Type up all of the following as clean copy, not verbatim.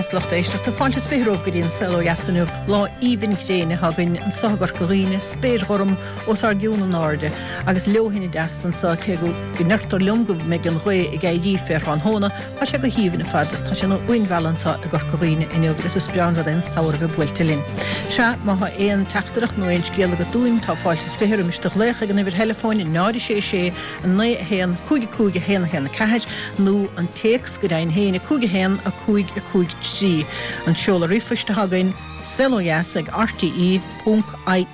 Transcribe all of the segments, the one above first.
dheas lucht éisteachta. Fáilte is 20 romhaibh go dtí an Saol Ó Dheas inniu. Lá aoibhinn gréine atá againn anseo i gCorca Dhuibhne, spéir ghorm os ár gcionn in airde agus leoithne deas anseo cé go ndeirtear liom go mbeidh an ghaoth ag éirí fé thráthnóna. Tá sé go haoibhinn ar fad. Tá sé ina uainmhealladh anseo i gCorca Dhuibhne inniu agus is breá an rud é an samhradh a bheith buailte linn. Sea, má thá aon teachtaireacht nó aon scéal agat dúinn, tá fáilte is 20 roimis do ghlaoch ag an uimhir theileafóin 0 6 6 9 1 5 5 1 1 4 nó an téacs go deimhin féin 5 1 5 5 3. An seoladh ríomhphoist atá againn, saolodheas ag rte ponc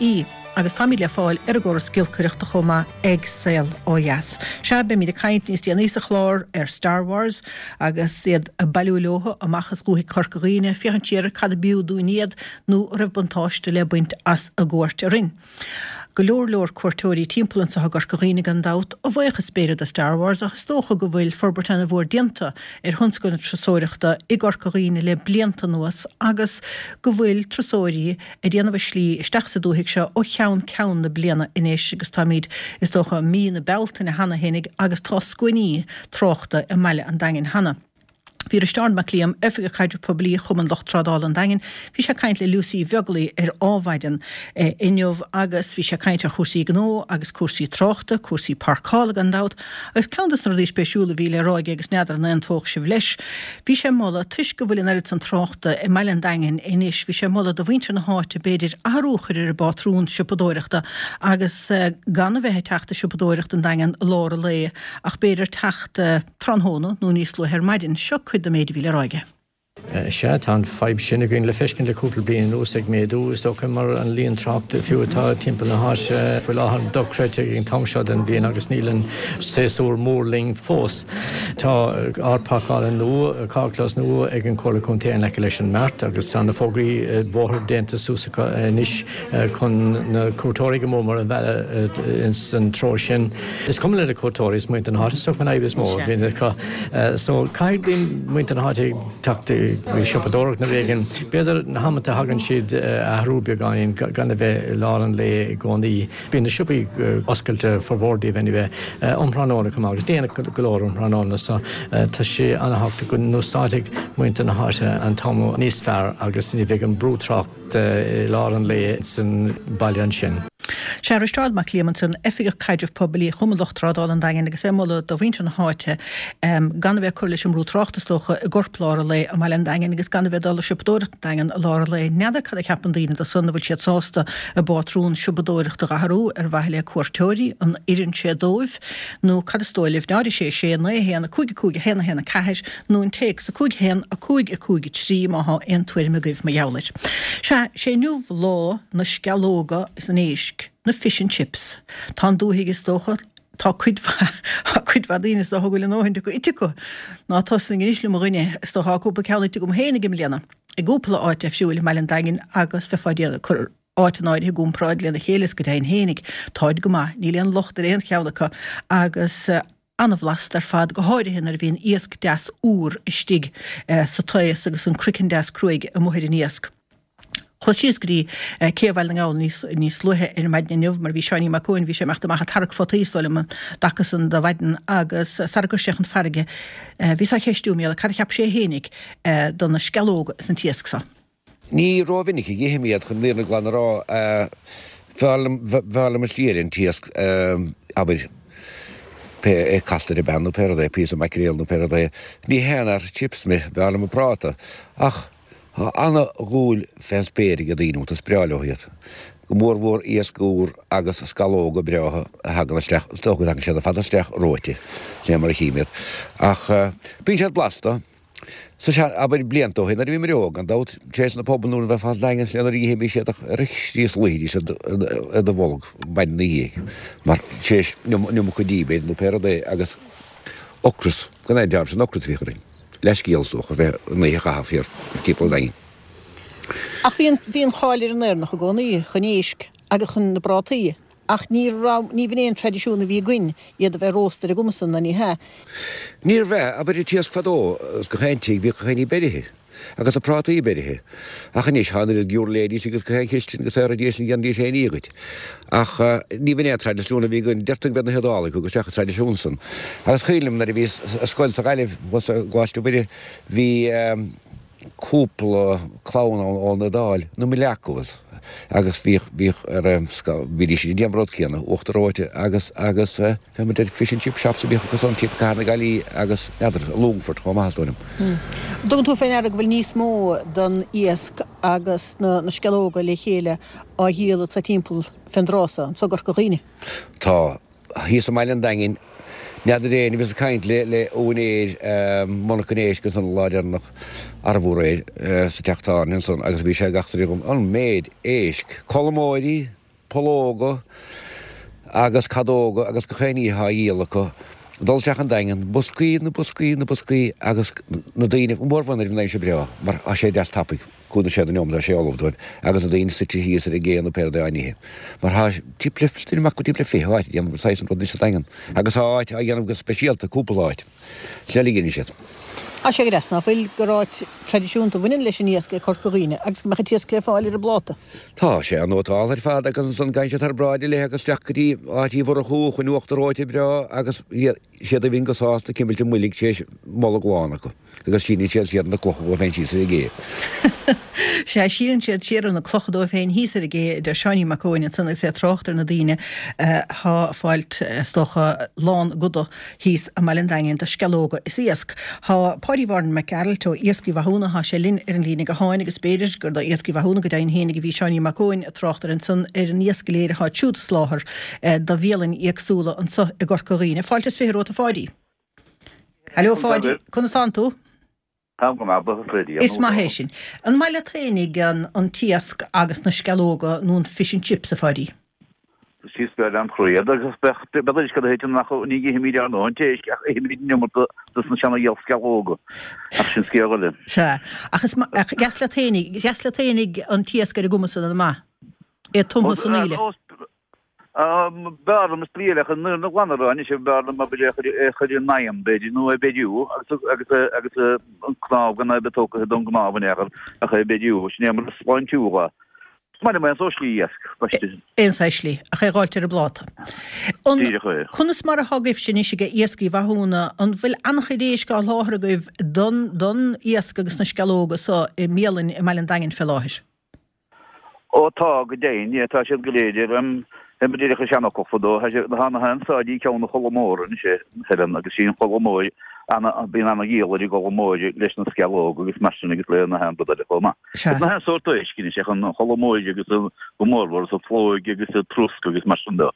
ie agus táimid le fáil ar an gcóras giolcaireachta chomh maith ag Saol Ó Dheas. Sea, beimid ag caint níos déanaí sa chlár ar Star Wars agus iad ag bailiú leothu amach as dhúthaigh Chorca Dhuibhne, féachaint siar ar cad a b'fhiú dúinn iad nó an raibh buntáiste le baint as a gcuairt orainn. Go leor leor cuairteoirí timpeall anseo i gCorca Dhuibhne gan dabht, a bhuíochas b'fhéidir do Star Wars ach is dócha go bhfuil forbairt ana-mhór déanta ar thionscal na turasóireachta i gCorca Dhuibhne le blianta anuas agus go bhfuil turasóirí ag déanamh a slí isteach sa dúthaigh seo ó cheann ceann na bliana anois agus táimid is dócha i mí na Bealtaine cheana fhéinig agus tá scuainí tráchta i mbaile an Daingin cheana. Bhí Risteárd Mac Liam, Oifigeach Caidrimh Poiblí Chumann Lucht Trádála an Daingin, bhí sé ag caint le Lucy Uí Bheaglaoi ar Ádhmhaidin inniu agus bhí sé ag caint ar chúrsaí gnó agus cúrsaí tráchta, cúrsaí páirceála gan dabht agus ceann de na rudaí spéisiúla a bhí le rá aige agus n'fheadar an aontódh sibh leis, bhí sé ag moladh, toisc go bhfuil an oiread san tráchta i mbaile an Daingin anois, bhí sé ag moladh do mhuintir na háite b'fhéidir athrú a chur ar a bpátrún siopadóireachta agus gan a bheith ag teacht ag siopadóireacht an Daingean i lár an lae ach b'fhéidir teacht tráthnóna nó níos luaithe ar maidin. Seo cuid den méid a bhí le rá aige. Sea, tá an fadhb sin againn le feiscint le cúpla bliain anuas, ag méadú, is dócha, mar an líon tráchta fiú atá timpeall na háite faoi láthair dochreidte ag an t-am seo den bhliain agus níl an séasúr mór linn fós. Tá áit páirceála nua, carrchlós nua ag an Chomhairle Contae in aice leis an Mart agus tá na fógraí bóthair déanta suas acu anois chun na cuairteoirí go mór mór a mhealladh ins an treo sin. Is cuma le na cuairteoirí, is muintir na háite is dócha an fhadhb is mó a bhíonn acu. So caithfidh muintir na háite teacht ag siopadóireacht nó éigin. B'fhéidir na hamanta a thagann siad a athrú beagáinín gan a bheith i lár an lae i gcónaí. Bíonn na siopaí oscailte, formhór díobh anyway, um thráthnóna chomh maith agus déanach go leor um thráthnóna so tá sé an-thábhachtach go n-úsáidfidh muintir na háite an t-am níos fearr agus ní bheidh an brú tráchta i lár an lae san baile ansin. Sea, Risteárd Mac Liam ansan, Oifigeach Caidrimh Poiblí Chumann Lucht Trádála an Daingin agus é ag moladh do mhuintir na háite gan a bheith ag cur leis an mbrú tráchta is dócha i gcorplár an lae i mbaile an Daingin agus gan a bheith ag dul ag siopadóireacht an Daingean i lár an lae. N'fheadar cad a cheapann daoine de san, an bhfuil siad sásta a bpátrún siopadóireachta a dh'athrú ar mhaithe le cuairteoirí, an oireann sé dóibh nó cad is dóigh libh? 0 6 6 9 1 5 5 1 1 4 nó an téacs 5 1 5 5 3 má thá aon tuairim agaibh mar gheall air. Sea, sé inniu lá na sceallóga is an éisc, na fish and chips. Tá an dúthaigh is dócha, tá cuid mhaith, tá cuid mhaith daoine is dócha go bhfuil a ndóthain acu ite acu. Ná tosnaigh anois liom a dhuine, is dócha tá cúpla ceann ite agam féinig i mbliana, i gcúpla áit difriúil i mBaile an Daingin agus bheifeá ag déanamh, cur áit in áirithe i gcomparáid lena chéile is go deimhin féinig, táid go maith, níl aon locht ar aon cheann acu agus an-bhlasta ar fad, go háirithe nuair a bhíonn iasc deas úr istigh sa taos agus an croiceann deas cruaidh amuigh ar an iasc. Chuas síos go dtí Cé Bhaile na nGall níos níos luaithe ar maidin inniu mar bhí Seáinín Mac Eoin, bhí sé ag imeacht amach ag tarrac fataí is dóigh liom an dtaca san de mhaidin agus sara gcuir sé chun farraige bhíos á cheistiú mar gheall ar cad a cheap sé fhéinig do na sceallóga is an t-iasc so. Ní rómhinic a dh'ithim iad, chun an fhírinne glan a rá. B'fhearr liom, b'fhearr liom an slí eile, an t-iasc, abair, pé é casta ar an bpeann nó pé rud é, píosa maicréal nó pé rud é. Ní haon fhear chips mé, b'fhearr liom an práta. Ach tá ana-dhúil fén spéir ag daoine iontu, is breá leo iad. Go mór mhór iasc úr agus scallóga breátha a thagann isteach, is dócha go dtagann siad ar fad isteach reoite, sin é mar a chím iad. Ach bíonn siad blasta. Sa sean, abair, blianta ó shin, nuair a bhíomar óg, gan dabht, tar éis na puball nuair a bheifeá sa Daingean is nuair a dh'ithimís iad ach ar a chríost luífidís i do bholg maidin ina dhiaidh, mar tar éis an iomarca dí, b'fhéidir, nó pé rud é, agus ocras, gan aon dabht, sin ocras a bhíodh orainn. Leathscéal, is dócha, bheith an oíche a chaitheamh thiar timpeall an Daingin. Ach bhí an, bhí an cháil ar an Éireannach i gcónaí chun éisc agus chun na bprátaí. Ach ní raibh, ní bh'in é an traidisiún a bhí againn, iad a bheith rósta ar an gcuma san, ná ní hea. Níorbh ea, abair an t-iasc fadó, is gach aon tigh, bhíodh gach aon ní beirithe, agus na prátaí beirithe. Ach anois, tá an oiread giúirléidís agus gach aon chistin agus saoraidís an ndéanfaidís aon ní dhuit. Ach ní bh'in é an traidisiún a bhí againn, deirtear go mb'iad na hIodálaigh a thug isteach an traidisiún san. Agus cuimhin liom nuair a bhíos ar scoil sa Ghaillimh, thuas i gColáiste Mhuire, bhí. cúpla clann ann ón Iodáil, na Miliacos, agus bhíodh, bhíodh ar, bhídís ag déanamh an rud céanna, uachtar reoite agus, agus fé mar deir fish and chip shops a bhíodh acu san timpeall Cathair na Gaillimhe agus n'fheadar, i Longfort chomh maith is dóigh liom. An dtugann tú fé ndeara go bhfuil níos mó den iasc agus na sceallóga le chéile á dhíol anso timpeall fén dtráth so, anso i gCorca Dhuibhne? Tá. Thíos i mBaile an Daingin, n'fheadar éinne, bhíos ag caint le le úinéir monarchan éisc ansan an lá deireanach, arbh aréir, sa teach tábhairne ansan agus bhí sé ag eachtraí dhom an méid éisc, colmóirí, pollóga agus cadóga agus gach aon ní atá á dhíol acu. Dul isteach an Daingean, boscaí na boscaí na boscaí agus na daoine, mórmhaith an aimsir breá mar tá sé deas tapaidh. Cúnamh sé don neomat tá sé ullamh dóibh agus na daoine suite thíos ar an gcé nó pé rud é á n-ithe. Mar tá timpeall le, duine acu timpeall le 20 áit ag déanamh an saghas an rud anois sa Daingean. Agus tá áit á dhéanamh go speisialta, cúpla áit, le ligin siad. Tá sé go deas ná fuil gur áit traidisiúnta a bhaineann leis an iasc é Corca Dhuibhne agus go mbeadh an t-iasc le fáil ar an bpláta. Tá sé an-nótálta ar fad agus ansan gabhann siad thar bráid le agus isteach go dtí áit Uí Mhurchú chun uachtar reoite breá agus siad a bhíonn go sásta cimilt a mboilg tar éis bolg lán acu. Agus síneann siad siar na clocha dóibh féin síos ar an gcé. Sea, síneann siad siar na clocha dóibh féin thíos ar an gcé, a deir Seáinín Mac Eoin ansan agus é ag trácht ar na daoine atá ag fáilt, is dócha, lán a gcoda thíos i mBaile an Daingin de sceallóga is iasc. Tá Páidí Mháirín Mac Gearailt ó Iascaigh Mhathúna, tá sé linn ar an líne gutháin agus b'fhéidir gur do Iascaigh Mhathúna go deimhin fhéinig a bhí Seáinín Mac Eoin ag trácht air ansan ar an iasc go léir atá siúd ag soláthar do bhialainn éagsúla anso i gCorca Dhuibhne. Fáilte is 20 romhat a Pháidí. Hello Pháidí, conas tánn tú? Táim go maith, buíochas le Dia. Is maith é sin. An maith leat fhéinig an t-iasc agus na sceallóga nó an fish and chips, a Pháidí? Is breá lem chroí iad agus bheadh bheadh uisce do thiteann ach ní ithimid ár ndóthain éisc ach ithimid an iomarca dos na seana-sceallóga ach sin scéal eile. Sea, ach is ach deas leat fhéinig, deas leat fhéinig an t-iasc ar an gcuma san an maith? É tumtha san aoile. B'fhearr liom is brí eile ach an fhírinne ghlan a rá anois, b'fhearr liom abair é a chur i n-oigheann, b'fhéidir, nó é a bheiriú agus agus agus an cnámh gan é a bheith tógtha don gcnámh in aon chor ach é a bheiriú, sin é mar is sláintiúla. Is maith liom aon sórt slí iasc, baiste. Aon saghas slí, ach é dh'fháilt ar an bpláta. An, Díreach é. Conas mar atá agaibhse anois ag Iascaigh Mhathúna, an bhfuil an-chuid éisc á sholáthar agaibh don don iasc agus na sceallóga so i mbialainn i mBaile an Daingin fé láthair? Ó tá, go deimhin, yeah, tá siad go léir ar an, ar mo díreach an seanfhocal fadó, tá siad, tá na han-sáidí ceann na Cholmóra anois a Helen agus sí an Cholmóir, ana, bíonn ana-dhíol ar an gColmóir leis na sceallóga agus mar sin agus le na haon rud eile chomh maith. Sea. Agus na haon sórt éisc anois, ach an Cholmóir agus an, go mórmhór, agus an phlóig agus an trosc agus mar sin de.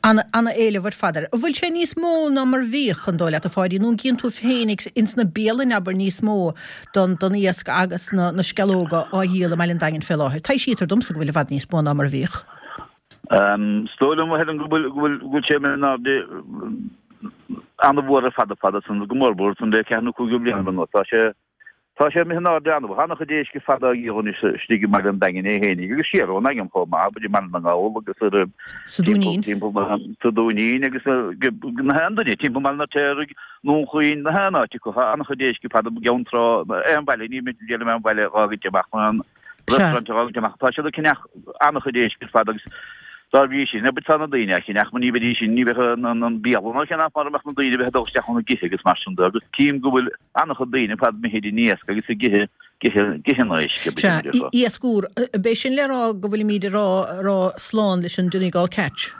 Ana-éileamh ar fad air. An bhfuil sé níos mó ná mar bhíodh, an dóigh leat, a Pháidí, nó an gcíonn tú féinig ins na bialainn, abair, níos mó don don iasc agus na na sceallóga á dhíol i mBaile an Daingin fé láthair? Taibhsítear domsa go bhfuil i bhfad níos mó ná mar a bhíodh. Is dóigh liom, a Helen, go bhfuil go bhfuil go bhfuil sé imithe in airde ana-mhór ar fad ar fad ansan, go mórmhór ansan le ceathair nó cúig de bhlianta anuas. Tá sé Tá sé imithe in airde an-mhór. Tá an-chuid éisc ar fad á dhíol anois istigh i mBaile an Daingin é fhéinig agus siar ón nDaingean chomh maith, abair i mBaile na nGall agus ar Sa Dúinín. timpeall na sa Dúinín agus na haon duine timpeall mBaile an Fheirtéaraigh, nDún Chaoin, na haon áit acu. Tá an-chuid éisc ar fad i gCeann Trá, aon bhaile, ní mithid déanamh aon bhaile dhá gcuid amach nó aon restaurant dhá gcuid amach. Tá siad ag ceannach an-chuid éisc ar fad agus dá bhrí sin, abair tá na daoine á cheannach, mar ní bheidís sin, ní bheadh an bialann á cheannach mara mbeadh na daoine a bheith ag dul isteach ann ag ithe agus mar sin de agus tchím go bhfuil An-chuid daoine ar fad imithe ar an iasc agus ag ithe, ag ithe, ag ithe an éisc, abair, Sea, déarfá. iasc úr. B'é sin le rá go bhfuilimíd ag rá, rá slán leis an Donegal Catch?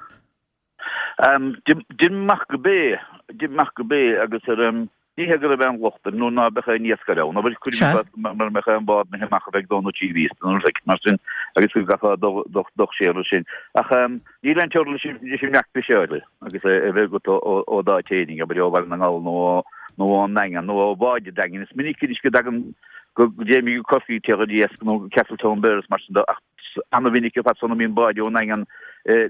Deirim amach go b'é, deirim amach go b'é agus ar, ní hé go raibh aon locht air nó ná beadh aon iascaire ann, abair, cuirim i gcás mura mbeadh aon bhád imithe amach a bheith ag dó nó 3 mhí nó rud éicint mar sin agus go gcaithfeá dul, dul, dul siar ar sin. Ach níl aon teorainn leis an, leis an mbreac fiseála agus é a bheith agat ó d'áit fhéinig, abair ó Bhaile na nGall nó ó, nó ón nDaingean nó ó bháid an Daingin. Is minic anois go dtagann, go dtéimid go Corcaigh ag iarraidh iasc nó go Castletownbere is mar sin de ach ana-mhinic ar fad san a mbíonn báid ón nDaingean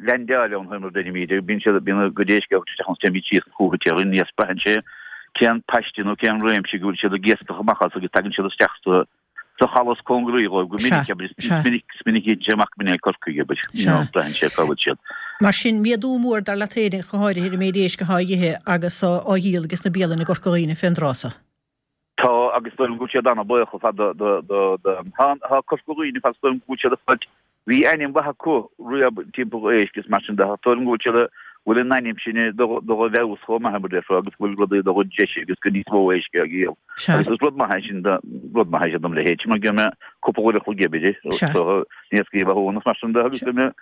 leaindeáil ann mar a deirimid, bíonn siad, bíonn a gcuid éisc ag isteach ann is téimid síos chucu ag iarraidh an iasc. Braitheann sé cén paiste nó cén réimse go bhfuil siad ag iascach amach as agus tagann siad isteach sa sa chaladh is cóngaraí dhóibh go minic, abair, is minic, is minic a théann sé amach go minic Corcaigh, abair, you know, braitheann sé cá bhfuil siad. Mar sin, méadú mór dar leat féin, go háirithe ar an méid éisc atá á ithe agus á dhíol ages na bialainn i gCorca Dhuibhne fén dtráth so. Tá, agus is dóigh liom go bhfuil siad an-bhuíoch ar fad do, do, do, do, tá, tá Corca Dhuibhne ar fad, is dóigh liom go bhfuil siad ag fáilt, bhí ainm mhaith acu riamh timpeall éisc is mar sin de, is dóigh liom go bhfuil siad ag. Bhfuil an ainm sin dul i bhfeabhas chomh maith mar a déarfá agus go bhfuil rudaí dul i dtreise agus go níos mó éisc á dhíol. Agus is rud maith é sin rud maith é sin dom leithéid mar go mbeidh cúpla uair a chloig oibre so iascaigh Mhathúna agus mar sin de agus go mbeidh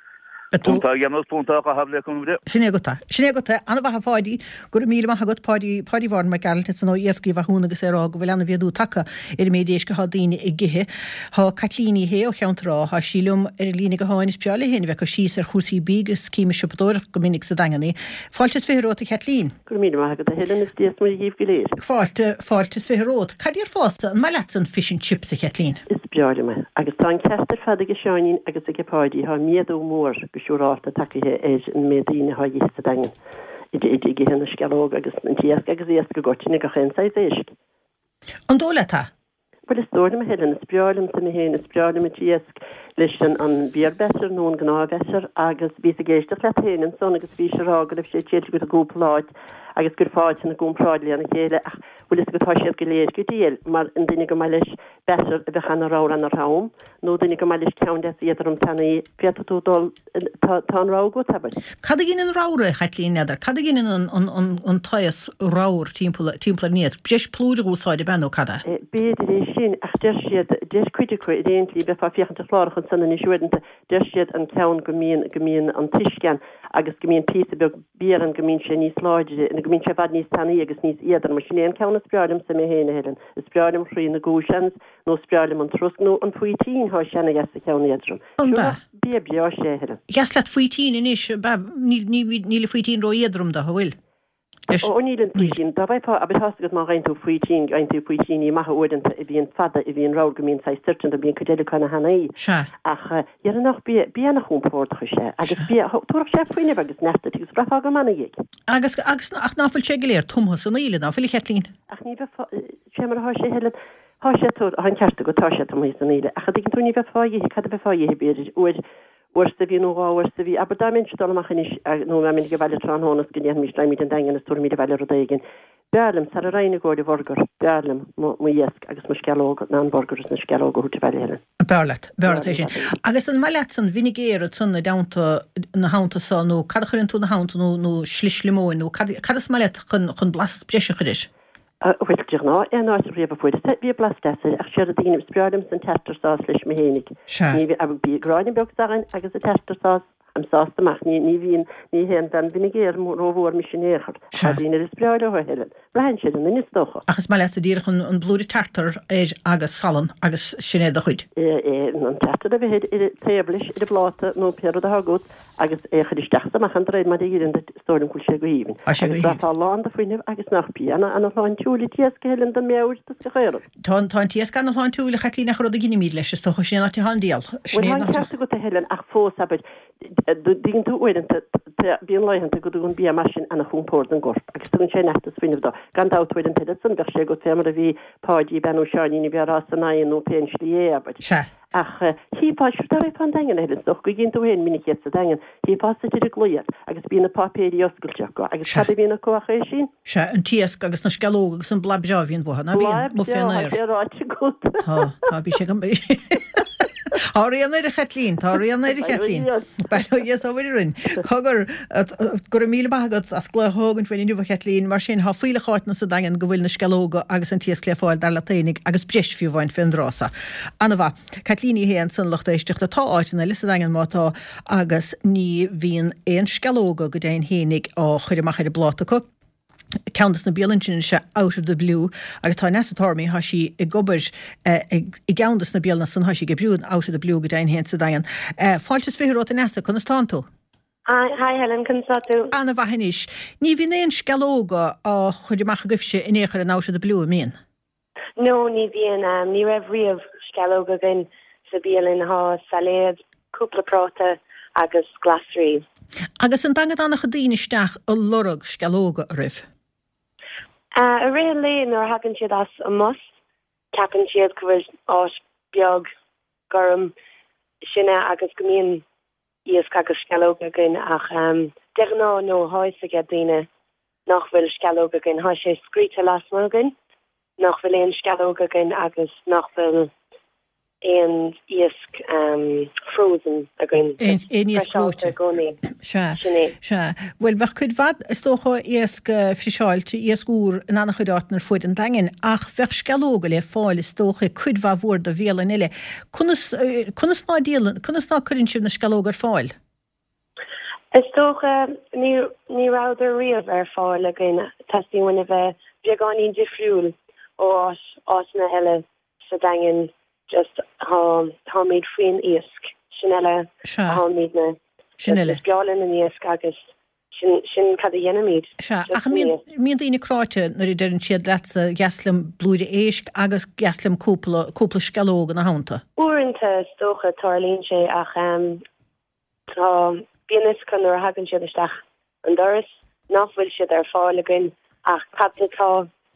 Punta a dhéanamh, punta a chaitheamh le cúnamh Dé. Sin é agat é. Sin é agat é. Ana-mhaith a Pháidí. Go raibh míle maith agat, Páidí, Páidí Mháirín Mac Gearailt ansan ó Iascaigh Mhathúna agus é ag rá go bhfuil ana-mhéadú tagtha ar an méid éisc atá daoine ag ithe. Thá Caitlín Ní Shé ó Cheantar Átha, thá sí liom ar an líne gutháin. Is breá léi féin a bheith ag cur síos ar chúrsaí bídh agus cím ag siopadóireacht go minic sa Daingean í. Fáilte is 20 romhat a Chaitlín. Go raibh míle maith agat a Helen is Dia is Muire dhíbh go léir. Fáilte, fáilte is 20 romhat. Cad déarfása, an maith leatsa an fish and chips a Chaitlín? Is breá liom é. Agus tá an ceart ar fad aige Seáinín agus aige Páidí, tá méadú mór go siúrálta tagaithe ar an méid daoine atá ag ithe sa Daingean. Ag ithe na sceallóg agus an t-iasc agus iasc i gcoitinne, gach aon saghas éisc. An dóigh leat é? Bhuel, is dóigh liom, a Helen, is breá liomsa mé féin, is breá liom an t-iasc leis an an beer batter nó an gnáth bhatter agus bhíos ag éisteacht leat féin ansan agus bhís ag rá go raibh sé triailte agat i gcúpla áit agus gur fáilte na gcomparáid lena chéile ach bhfuil fhios agat tá siad go léir go diail mar an duine go maith leis batter a bheadh ana-ramhar ana-throm nó duine go maith leis ceann deas éadrom tanaí féadfaidh tú dul Tá an rogha agat, abair. Cad a ghineann ramhar, a Chaitlín, n'fheadar? Cad a ghineann an taos ramhar timpeall ar an iasc? Breis plúir a úsáid, ab ea, nó cad é? B'fhéidir é sin, ach deir siad, deir cuid acu, ar aon tslí, bheifeá ag féachaint ar chláracha ansan anois uaireanta, deir siad an ceann go mbíonn, go mbíonn an t-uisce ann agus go mbíonn píosa beag beer ann go mbíonn sé níos láidre, nó go mbíonn sé i bhfad níos tanaí agus níos éadroime. Sin é an ceann is breá liomsa mé féin, a Helen. Is breá liom croí na gcúis nó is breá liom an trosc nó an faoitín, thá sé ana-dheas sa cheann éadrom. An ea? Bia breá is ea é, a Helen. Dheas leat faoitín anois, ab ea? Níl, níl, níl an faoitín ró-éadrom dó, an bhfuil? Leis. Ó, níl an faoitín. Dá bhfaighfeá, abair, tá's agat má fhaigheann tú faoitín, faigheann tú faoitíní maithe uaireanta a bhíonn fada, a bhíonn ramhar, go mbíonn saghas toirt iontu, bíonn cuid eile acu ana-thanaí. Sea. Ach déarfainn nach bia, bia ana-chompordach is ea agus bia, thabharfadh sé fuinneamh agus neart duit agus bhraithfeá go maith ina dhiaidh. Agus, agus, ach ná fuil sé go léir tumtha san aoile, ná fuil, a Chaitlín? Ach ní bheifeá, sé mar atá sé, a Helen, Tá sé, tá an ceart agat, tá sé tumtha san aoile, ach a dtuigeann tú, ní bheifeá ag ithe, cad a bheifeá ag ithe, b'fhéidir, uair, uair sa mhí nó dhá uair sa mhí, abair dá mbeinnse ag dul amach anois, nó dá mbeinn ag baile tráthnóna is go ndéanfaimis, raghaimid an Daingean is tabharfaimid abhaile rud éigin, b'fhearr liom, sara raghainn i gcomhair an bhurgar, b'fhearr liom mo, mo iasc agus mo sceallóga ná an burgar is na sceallóga a thabhairt abhaile, Helen. B'fhearr leat, b'fhearr leat é sin. Agus an maith leatsa an vinegar ansan i dteannta, ina theannta so, nó cad a chuireann tú ina theannta, nó, nó slis liomóin, nó cad, cad is maith leat chun, chun blas breise a chur air? Bhuel, de ghnáth, aon áit riamh a fuaireas é, bhí blas deas air, ach séard a deinim, is breá liomsa an tartar sauce leis mé fhéinig. Sea. Ní bhí, bhí gráinne beag s'againn agus an tartar sauce, I'm sásta amach, ní, ní bhíonn, ní haon bhean vinegar rómhór mise in aon chor. Sea. Tá daoine eile is breá leo, a Helen. Braitheann sé ar an nduine, is dócha. Ach is maith leatsa díreach an, an blúire tartar air agus salann agus sin é do chuid. É, é, an tartar a bheith ar, ar, taobh leis, ar an bpláta nó pé rud atá agat, agus é a chur isteach is amach de réir mar a oireann duit, is dóigh liom go bhfuil sé go haoibhinn. Tá sé go Agus haoibhinn. bheifeá lán de fuinneamh agus nach bia ana ana-shláintiúil an t-iasc a Helen don mheabhair is gach aon rud. Tá an, tá an t-iasc ana-shláintiúil, a Chaitlín, ach an rud a ghinimid leis, is dócha, sin é an áit atá an diabhal. Sin Bhuel é tá an an áit. ceart agat a Helen ach fós, abair, dtuigeann tú uaireanta, tá, bíonn laethanta go dtugann bia mar sin ana-chompord don gcorp agus tugann sé neart is fuinneamh dó. Gan dabht uaireanta eile san bheadh sé agat fé mar a bhí Páidí, bean nó Seáinín a bhí á rá san oigheann nó pé an slí é, abair. Sea. Ach chífeá, sure dá raghfá an Daingean a Helen, is dócha go gcíonn tú féin minic iad sa Daingean, chífeá suite ar an gclaí iad agus bíonn na páipéirí oscailte acu agus Sea. cad a bhíonn acu ach é sin? Sea, an t-iasc agus na sceallóga agus an blas breá a bhíonn uathu, ná Blas bíonn, amuigh breá, fén tá aer. sé ráite agat. Tá, tá, bhí sé go. Tá rian air a Chaitlín, tá rian air a Chaitlín. Bail ó Dhia is ó Mhuire orainn. Cogar, go raibh míle maith agat as glaoch a thógaint uainn inniu a Chaitlín. Mar sin, tá fuílleach áiteanna sa Daingean go bhfuil na sceallóga agus an t-iasc le fáil dar leat fhéinig agus breis fiú amháin fén dtráth so. Ana-mhaith. Caitlín Ní Shé ansan, lucht éisteachta. Tá áiteanna eile sa Daingean má tá agus ní bhíonn aon sceallóga go deimhin fhéinig á chur amach ar an bpláta acu. Ceann des na bialanna sin is ea Out of the Blue agus tá Neasa Tormey, tá sí ag obair i gceann des na bialanna san, tá sí ag oibriú in Out of the Blue go deimhin féin sa Daingean. Fáilte is 20 romhat a Neasa, conas tánn tú? Hi, hi Helen, conas tá tú? Ana-mhaith anois. Ní bhíonn aon sceallóga á chur amach agaibhse in aon chor in Out of the Blue, an mbíonn? No, ní bhíonn. Ní raibh riamh sceallóga againn sa bialann. Thá sailéad, cúpla práta agus glasraí. Agus an dtagann an-chuid daoine isteach a lorg sceallóga, an raibh? I rith an lae nuair a thagann siad as an mbus, ceapann siad go bhfuil áit beag gorm sinne agus go mbíonn iasc agus sceallóga againn ach de ghnáth no, thá fhios age daoine nach bhfuil sceallóga againn. Thá sé scríte lasmuigh againn nach bhfuil aon sceallóga againn agus nach bhfuil. Aon iasc frozen againn. Aon iasc reoite. I gcónaí. Sea. Sin é. Sea. Bhuel, bheadh cuid mhaith, is dócha, iasc friseáilte, iasc úr in an-chuid áiteanna ar fuaid an Daingin, ach bheadh sceallóga le fáil, is dócha, i cuid mhaith mhór de bhialanna eile. Conas, conas ná díolann, conas ná cuireann sibh na sceallóga ar fáil? Is dócha, ní, ní rabhadar riamh ar fáil againn. Teastaíonn uainn a bheith beagáinín difriúil ó áit, áiteanna eile sa Daingean. Just, tá, táimid faoin iasc. Sin uile Sea. a tháimidne. Sin Just uile. is breá linn an iasc agus sin, sin cad a dhéanaimid. Sea, Just ach an mbíonn, an iasc. mbíonn daoine cráite nuair a deireann siad leatsa dheas liom blúire éisc agus dheas liom cúpla, cúpla sceallóg ina theannta? Uaireanta, is dócha, tarlaíonn sé ach, Tá, bíonn fhios acu nuair a thagann siad isteach an doras nach bhfuil siad ar fáil againn ach cad atá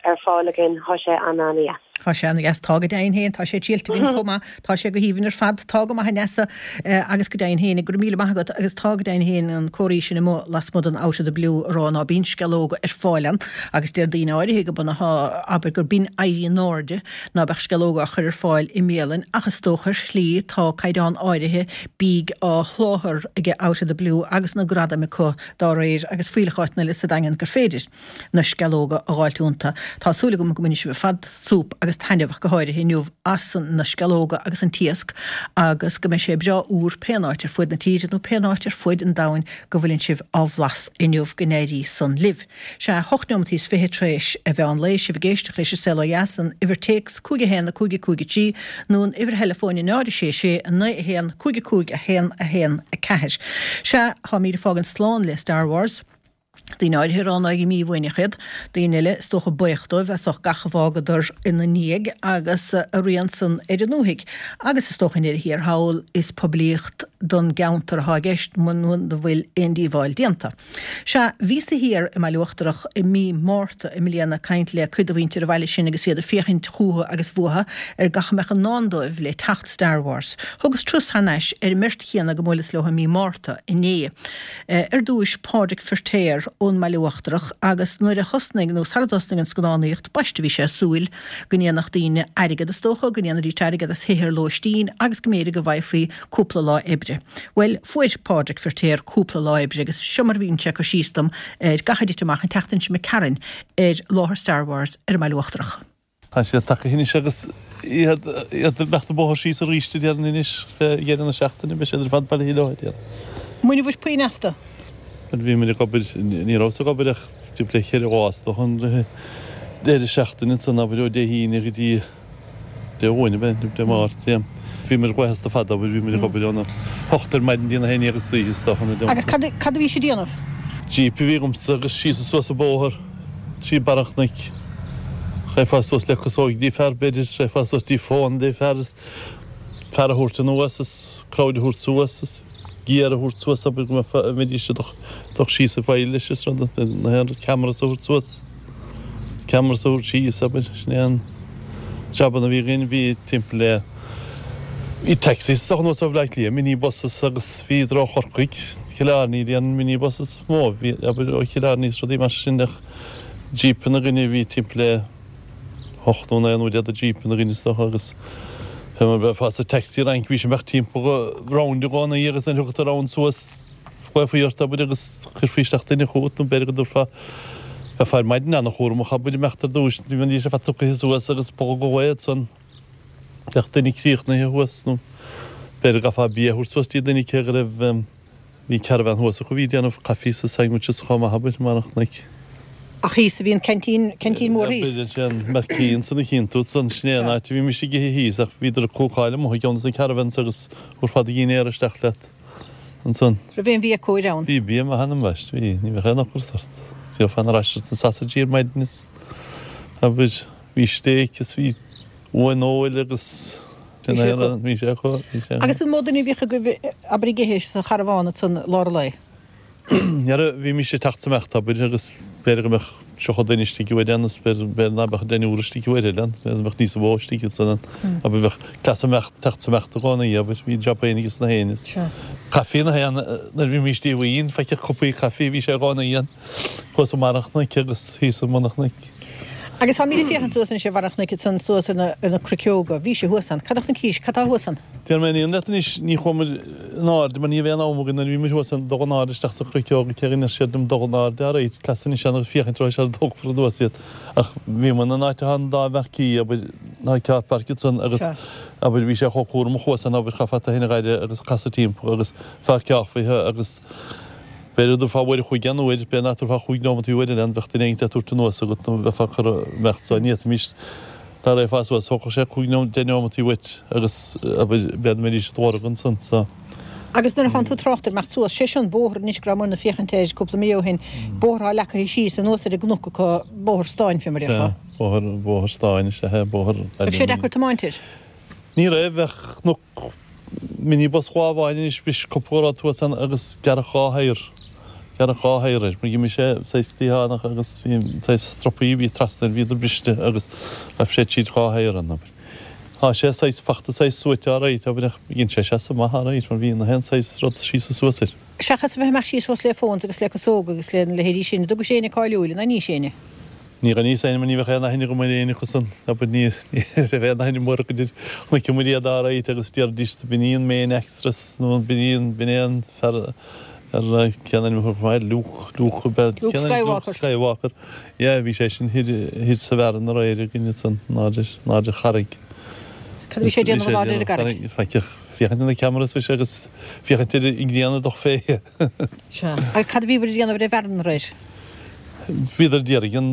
ar fáil againn, thá sé an-an-dheas. Thá sé an-dheas. Tá go deimhin féin. Tá sé triailte againn chomh maith. Tá sé go haoibhinn ar fad. Tá go maith a Neasa agus go deimhin féin, go raibh míle maith agat agus tá go deimhin féin an comhartha sin amuigh lasmuigh den Out of the Blue a rá ná bíonn sceallóga ar fáil ann agus deir daoine áirithe go b'ionadh, abair, gur b'in éirí in airde ná beadh sceallóga á chur ar fáil i mbialainn ach is dócha ar shlí tá caighdeán áirithe bídh á sholáthar aige Out of the Blue agus na gradaim acu dá réir agus fuílleach áiteanna eile sa Daingean gur féidir na sceallóga a dh'fháilt iontu. Tá súil agam go mbainfidh sibh ar fad súp agus taitneamh ach go háirithe inniu as na sceallóga agus an t-iasc agus go mbeidh sé breá úr pén áit ar fuaid na tíre nó pén áit ar fuaid an domhain go bhfuileann sibh á bhlas inniu go n-éirí san libh. Sea, 8 neomat is 20 tar éis a mheán lae, sibh ag éisteacht leis an Saol Ó Dheas, an uimhir téacs 5 1 5 5 3 nó an uimhir theileafóin 0 6 6 9 1 5 5 1 1 4. Sea, táimid ag fágaint slán le Star Wars. Daoine áirithe ag rá ná éirí mífhoighneach iad, daoine eile is dócha buíoch dóibh as ucht gach a bhfágadar ina ndiaidh agus a rian san ar a ndúthaigh. Agus is dócha i ndeireadh thiar thall is poiblíocht don gceantar atá i gceist muna bhfuil aon díobháil déanta. Sea, bhíos-sa thiar i mBaile Uachtarach i mí Márta i mbliana ag caint le cuid de mhuintir an bhaile sin agus iad ag féachaint chúthu agus bhuatha ar gach a mbeadh i ndán dóibh le teacht Star Wars. Thugas turas thar n-ais ar an mbeirt chéanna go mbuaileas leo i mí Márta inné. Ar dtúis Pádraig Firtéar ón mBaile Uachtarach agus nuair a thosnaigh, nó sara dtosnaigh an scannánaíocht, b'aisteach a bhí sé ag súil go ndéanfadh daoine airgead is dócha, go ndéanfaidís airgead as thithe ar lóistín agus go mb'fhéidir go bhfaighfí cúpla lá oibre. Bhuel, fuair Pádraig Firtéar cúpla lá oibre agus seo mar a mhínigh sé cur síos dom ar gach a dtit amach an tseachtain seo imigh tharainn ar láthair Star Wars ar an mBaile Uachtarach. Tá siad tagtha anois agus iad ag imeacht an bóthar síos arís a déarfainn anois fé dheireadh na seachtaine, beidh siad ar fad bailithe leo a déarfainn. An bhfuair sibh puinn astu? Bhuel bhí muid ag obair, ní rabhas ag obair ach timpeall le cheithre lá is dócha an deireadh seachtaine ansan, abair ó Dé hAoine go dtí Dé Luain ab ea, nó Dé Máirt, yeah. Bhí muid ag as fada, abair, bhí muid ag obair óna hocht ar maidin dtí na haon dhéag istoíche is dócha, na Agus cad, cad a bhí sibh a déanamh? Jeep a bhí agamsa agus síos is suas an bóthar trí barr an chnoic. Raghfá suas le casóig dtí fear, b'fhéidir, raghfá suas dtí fón dtí fear is fear a thabhairt anuas is crowd a thabhairt suas is gear a thabhairt suas, abair, go mbeifeá, mbeidís ag dul síos an phoill leis is rud, na haon rud, cameras a thabhairt suas. Cameras a thabhairt síos, abair, sin é an jabanna a bhí againn, bhí timpeall le, bhí taxis is dócha anuas ó Bhleá Cliath, mini buses agus bhíodar ó Chorcaigh, Cill Airne, bhí an mini buses is mó, bhí, abair, ó Chill Airne is rudaí mar sin ach jeepanna againne, bhí timpeall le hocht nó naoi nó deich de jeepanna againn is dócha agus fé mar bheifeá sa taxi rank, bhí sé imeacht timpeall round i gcónaí agus nuair a thiocfadh round suas, Ghlaofaí ort, abair, agus chuirfí isteach duine chugat, nó b'fhéidir go dtabharfá, bheifeá ar maidin an-chúramach, abair, imeacht ar dtúis, ní bheidís ar fad tugtha suas agus bog go réidh ansan, bheadh duine críochnaithe thuas, nó b'fhéidir go gcaithfeá bia a thabhairt suas dtí duine cé go raibh, bhí caravan thuas acu a bhí ag déanamh coffees is sandwiches chomh maith, abair, i mbarr an chnoic. Ach thíos a bhí an ceaintín, ceaintín mór thíos. B'fhéidir sé an marquee ansan a chíonn tú ansan, sin é an áit a bhímis ag ithe thíos ach bhíodar ag cúcáil amuigh i gceann de na caravans agus thabharfá do dhinnéar isteach leat. ansan. Raibh aon bhia cóir ann? Bhí bia maith ann ambaist, bhí, ní bheadh aon ocras ort. Gheofá na rashers na sausages ar maidin is, abair, bhí steak is bhí uain fheoil agus Bhí sé acu. Bhí sé acu, bhí sé acu. Agus an mó duine a bhíodh agaibh, abair, ag ithe sa charbhán ansan lár an lae? Dhera, bhímis ag teacht is imeacht, abair, agus b'fhéidir go mbeadh 30 duine istigh uair ann is b'fhéidir ná beadh deichniúr istigh uair eile ann, b'fhéidir go mbeadh níos mó istigh ansan ann. Abair, bheadh cleas imeacht, teacht is imeacht i gcónaí, abair, bhí job féin aige sna héin is caife na haon, nuair a bhímis díomhaoin, faiche cupaí caife, bhí sé i gcónaí ann, thuas i mbarr an chnoic agus thíos i mbun an chnoic. Agus táimid ag féachaint suas anois ar bharr an chnoic ansan suas ar na, ar na cruiceoga. Bhí sibh thuas ann. Cad a chonaicis? Cad tá thuas ann? Déarfaidh mé an fhírinne leat anois, ní chuaigh muid in airde mar ní raibh aon am againn nuair a bhí muid thuas ann dul in airde isteach sa chruiceog cé go ndeir siad liom dul in airde alright, cleas anois ann agus féachaint raibh sé ar dtógfar anuas iad. Ach bhí muid in áit atá an dá mharquee, abair, ná car park ansan agus, abair, bhí sé chomh cúramach thuas ann, abair, chaithfeá tú féin a dh'aire agus casadh timpeall agus pháirceálfaithe agus b'fhéidir go dtabharfá uair a chloig aon uair, b'fhéidir nach dtabharfá chúig neomat uair eile ann, bheadh duine éigin le tabhairt anuas agat nó bheifeá ag cur imeacht so ní fhéadfaimis dá raghfá suas, thógfadh sé cúig nó deich neomataí uait agus, abair, b'fhéidir go mbeidís id lorg ansan so. Agus nuair a thánn tú ag trácht ar imeacht suas, sé seo an bóthar anois go rabhamar ag féachaint air cúpla mí ó shin, bóthar atá leagtha síos anuas ar an gcnoc acu, bóthar stáin fé mar a déarfá. Sea, bóthar, bóthar stáin is ea é, bóthar. Raibh sé deacair tiomáint air? Ní raibh, bheadh cnoc minibus lá amháin anois bhris cúpla rud thuas ann agus gearradh dhá thaer, gearradh dhá thaer air, mar d'imigh sé saghas cliathánach agus bhí saghas stropaí a bhí trasna air, bhíodar briste agus ghaibh sé tríd dhá thaer ann, abair. Tá sé saghas fachta saghas suaite alright, abair, ach dhein sé seasamh maith alright mar bhí na haon saghas rud síos is suas air. Seachas a bheith amach síos thuas le phones agus le casóga agus le na leithéidí sin, an dtugaís éinne cáiliúil, an aithníos éinne? Níor aithníos éinne mar ní bheadh aon aithne agam ar éinne acu san, abair, ní raibh aon aithne mhór acu air. Chonaic muid iad alright agus déarfaidís b'in í an main actress nó b'in í an, b'in é an fear ar cén ainm a thug mé air, Luke, Luke ab ea, Luke Skywalker. Luke Skywalker. Yeah, bhí sé sin thoir, thoir sa bhfearann aréir againn ansan, in airde, in airde ar charraig. Cad a bhí sé ag déanamh in airde ar an gcarraig? Faic, féachaint ar na cameras bhí sé agus féachaint ar an ngrian ag dul fé. Sea. Agus cad a bhíobhair ag déanamh ar an bhfearann aréir? Bhíodar d'iarraidh an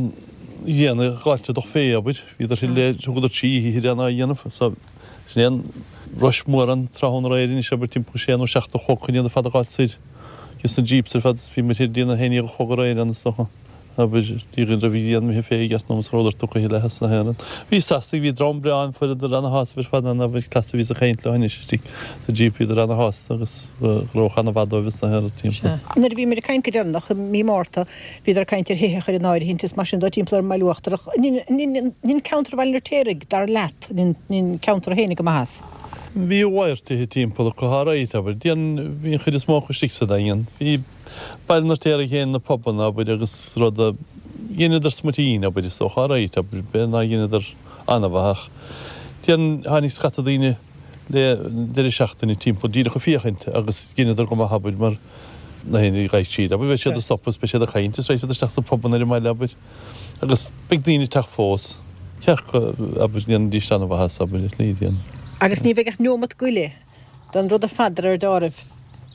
ghrian a dh'fháilt ag dul fé, abair. Bhíodar thoir le, thugadar trí oíche thoir ann á dhéanamh. So, sin é an rush mór an tráthnóna aréir anois, abair, timpeall sé nó seacht a chlog chun iad ar fad a dh'fháilt soir. Agus na jeeps ar fad, bhí muid thoir dtí na haon déag a chlog aréir ann is dócha. Abair, dtí go raibh an ghrian imithe fé i gceart nó is rabhadar tugtha a thuilleadh as na haon rud. Bhí Sasanaigh, bhí dream breá ann, fuaireadar ana-shásamh ar fad ann, abair, cleas a bhíos ag caint leo anois istigh sa jeep, bhíodar ana-shásta agus go raibh ana-mhaith dóibh as na haon rud timpeall. Sea. Nuair a bhí muid ag caint go deireanach i mí Márta, bhíodar ag caint ar thithe a chur in áirithint is mar sin dó timpeall ar an mBaile Uachtarach. An in ceantar Bhaile an Fheirtéaraigh, dar leat, an in ceantar a tháinig go maith as? Bhí a mhalairt tithe timpeall acu, alright, abair. Déan, bhí an chuid is mó acu istigh sa Daingean. Bhí. Baile an Fheirtéaraigh féin na pubanna, abair, agus rud a dheineadar smuitín, abair, is dócha, alright, abair, b'fhéidir nár dheineadar an-mhaith ach déarfainn tháinig scata daoine le deireadh seachtaine timpeall díreach ag féachaint agus dheineadar go maith, abair, mar na héinne a ghaibh tríd, abair, beidh siad ag stopadh is beidh siad ag caint is raghaidh siad isteach sna pubanna ar an mbaile, abair, agus beidh daoine ag teacht fós. Ceart go, abair, ndéanfaidís an-mhaith as, abair, ar shlí, déarfainn. Agus ní bheidh ach neomat goile den rud ar fad de réir deáraimh